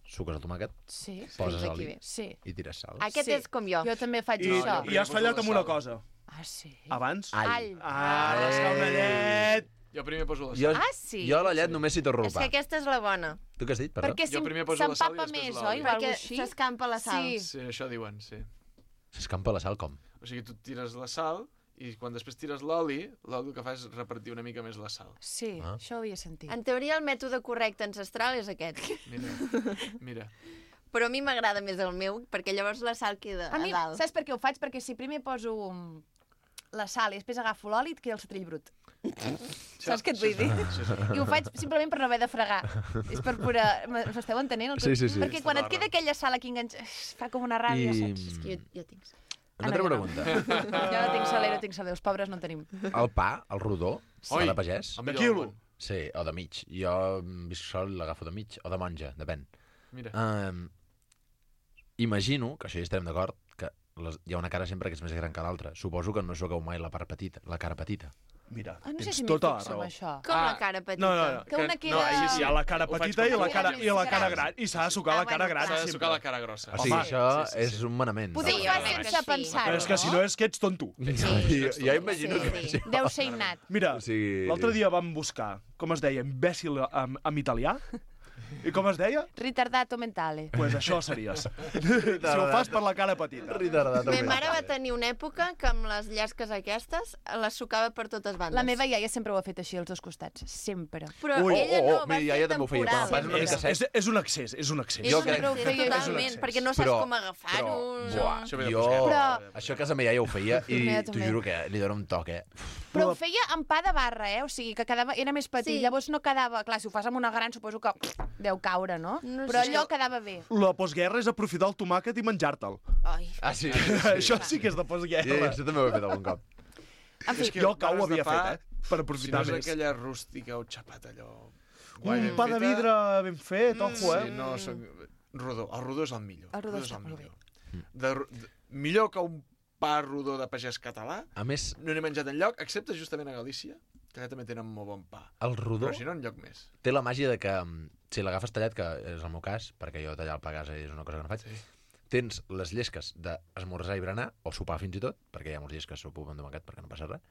suques el tomàquet, Sí, poses Fins aquí oli bé. sí. i tires sal. Aquest Sí. és com jo. Jo també faig I, això. I has fallat amb una cosa. Ah, sí? Abans... All. Ah, Eh. rascar una llet! Jo primer poso la Jo, sal. Ah, sí? jo a la llet només si torro el És pa. que aquesta és la bona, Tu què has dit, perdó? Perquè Jo si primer poso la sal i s'empapa després més, l'oli. oi? O alguna perquè així? s'escampa la sal. Sí. Sí, això diuen, sí. S'escampa la sal com? O sigui, tu tires la sal i quan després tires l'oli, l'oli el que fa és repartir una mica més la sal. Sí, Ah. això ho havia sentit. En teoria el mètode correcte ancestral és aquest. Mira, mira. Però a mi m'agrada més el meu, perquè llavors la sal queda A mi, a dalt. saps per què ho faig? Perquè si primer poso mm, la sal i després agafo l'oli, et queda el setrill brut. Saps què et vull dir? Sí, sí. I ho faig simplement per no haver de fregar. És per pura... M'esteu entenent? El que- Sí, sí, sí. Perquè quan et queda aquella sal aquí enganxada, fa com una ràbia, I... saps? És que jo, jo tinc... Una Ah, altra no, jo no. pregunta. Jo no tinc saler, no tinc saler, els pobres no en tenim. El pa, el rodó, Oi. el de pagès? El De millor del quilo. món. Sí, o de mig. Jo mm, visc sol i l'agafo de mig, o de monja, depèn. Mira. Um, imagino, que això hi estarem d'acord, que les, hi ha una cara sempre que és més gran que l'altra. Suposo que no soqueu mai la part petita, la cara petita. Mira, Ah, no sé tens si m'hi tota la fixo raó. amb això. Com Ah, la cara petita. No, no, no. Que una queda... no, sí, sí, Hi ha la cara Ho faig petita com i la tu. cara, i la cara Sí. gran. I s'ha de sucar Ah, la cara bueno, gran clar. S'ha de sempre. sucar la cara grossa. O sigui, Home, això sí, sí, sí. és un manament. Potser Sí, ho jo fa crec que sense sí. pensar-ho, Però és que si no és que ets tonto. Jo, jo imagino Sí, que sí. això... Deu ser innat. Mira, O sigui- l'altre dia vam buscar, com es deia, imbècil en, en italià. I com es deia? Ritardato mentale. Doncs pues això series. Si ho fas per la cara petita. Ritardat. Ma mare va tenir una època que amb les llasques aquestes les sucava per totes bandes. La meva iaia sempre ho ha fet així, als dos costats. Sempre. Però Ui, ella oh, oh, no, va mira, fer iaia també ho feia, temporal. quan fas una És, mica sec. és, és un excés, és un excés. És Jo un crec- excés ho feia- totalment, perquè no saps Però- com agafar-ho. Però, no. buah, Això ve de jo, Però- això a casa meva ja ho feia i Meva t'ho també. juro que li dóna un toc, eh? Però ho feia amb pa de barra, eh? O sigui, que quedava, era més petit. Sí. Llavors no quedava... Clar, si ho fas amb una gran, suposo que deu caure, no? No Però sé. allò quedava bé. La postguerra és aprofitar el tomàquet i menjar-te'l. Ai. Ah, sí? Això sí que és de Sí, postguerra. això també ho he fet algun cop. En fi, És que Jo el cau ho barres de havia pa, fet, eh? Per Si no aprofitar és més. aquella rústica o xapat, allò... Un pa de vidre ben fet, ojo, Sí, eh? no, soc... rodó. El rodó és el millor. El rodó és està el molt millor. De, ro- de, millor que un pa rodó de pagès català, A més, no n'he menjat enlloc, excepte justament a Galícia, que allà també tenen molt bon pa. el rodó Però si no, enlloc més. té la màgia de que mm, si l'agafes tallat, que és el meu cas, perquè jo tallar el pa a casa és una cosa que no faig, Sí. tens les llesques d'esmorzar i berenar, o sopar fins i tot, perquè hi ha molts dies que sopo amb tomàquet perquè no passa res,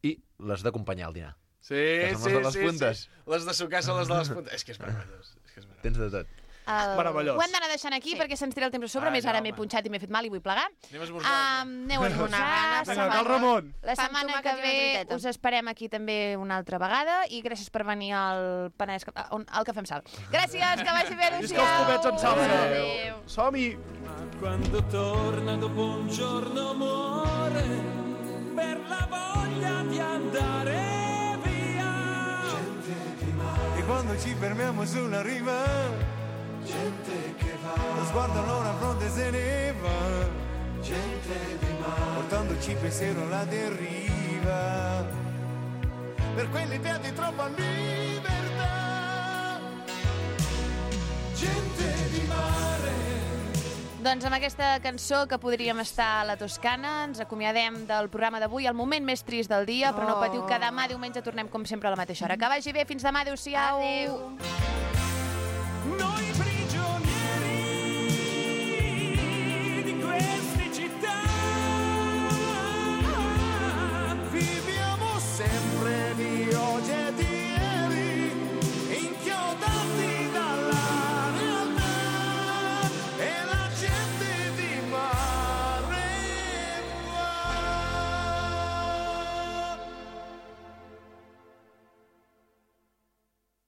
i les d'acompanyar al dinar. Sí, Que són les sí, de les sí, puntes. sí. Les de sucar són les de les puntes. És que és meravellós. És que és meravellós. Tens de tot. El... Meravellós. Ho hem d'anar deixant aquí Sí. perquè se'ns tira el temps a sobre. Ai, Més ara no, m'he home. punxat i m'he fet mal i vull plegar. Anem a esmorzar. Um, aneu a esmorzar. ganes, Vinga, cal Ramon. La Pa amb setmana tomàquet que i una ve truiteta. us esperem aquí també una altra vegada i gràcies per venir al Penedès, on- al Cafè amb Sal. Gràcies, que vagi bé, Visca els copets en salsa. Adéu. Som-hi. Quando torna dopo un giorno muore per la voglia di andare via. E quando ci fermiamo sulla riva, gente che va, lo sguardo allora a fronte se ne va, gente di mare, portandoci pensiero alla deriva, per quell'idea di troppa libertà, gente di mare. Doncs amb aquesta cançó que podríem estar a la Toscana ens acomiadem del programa d'avui, el moment més trist del dia, però no Oh. patiu que demà diumenge tornem com sempre a la mateixa hora. Que vagi bé, fins demà, adéu-siau. Adéu. Noi prima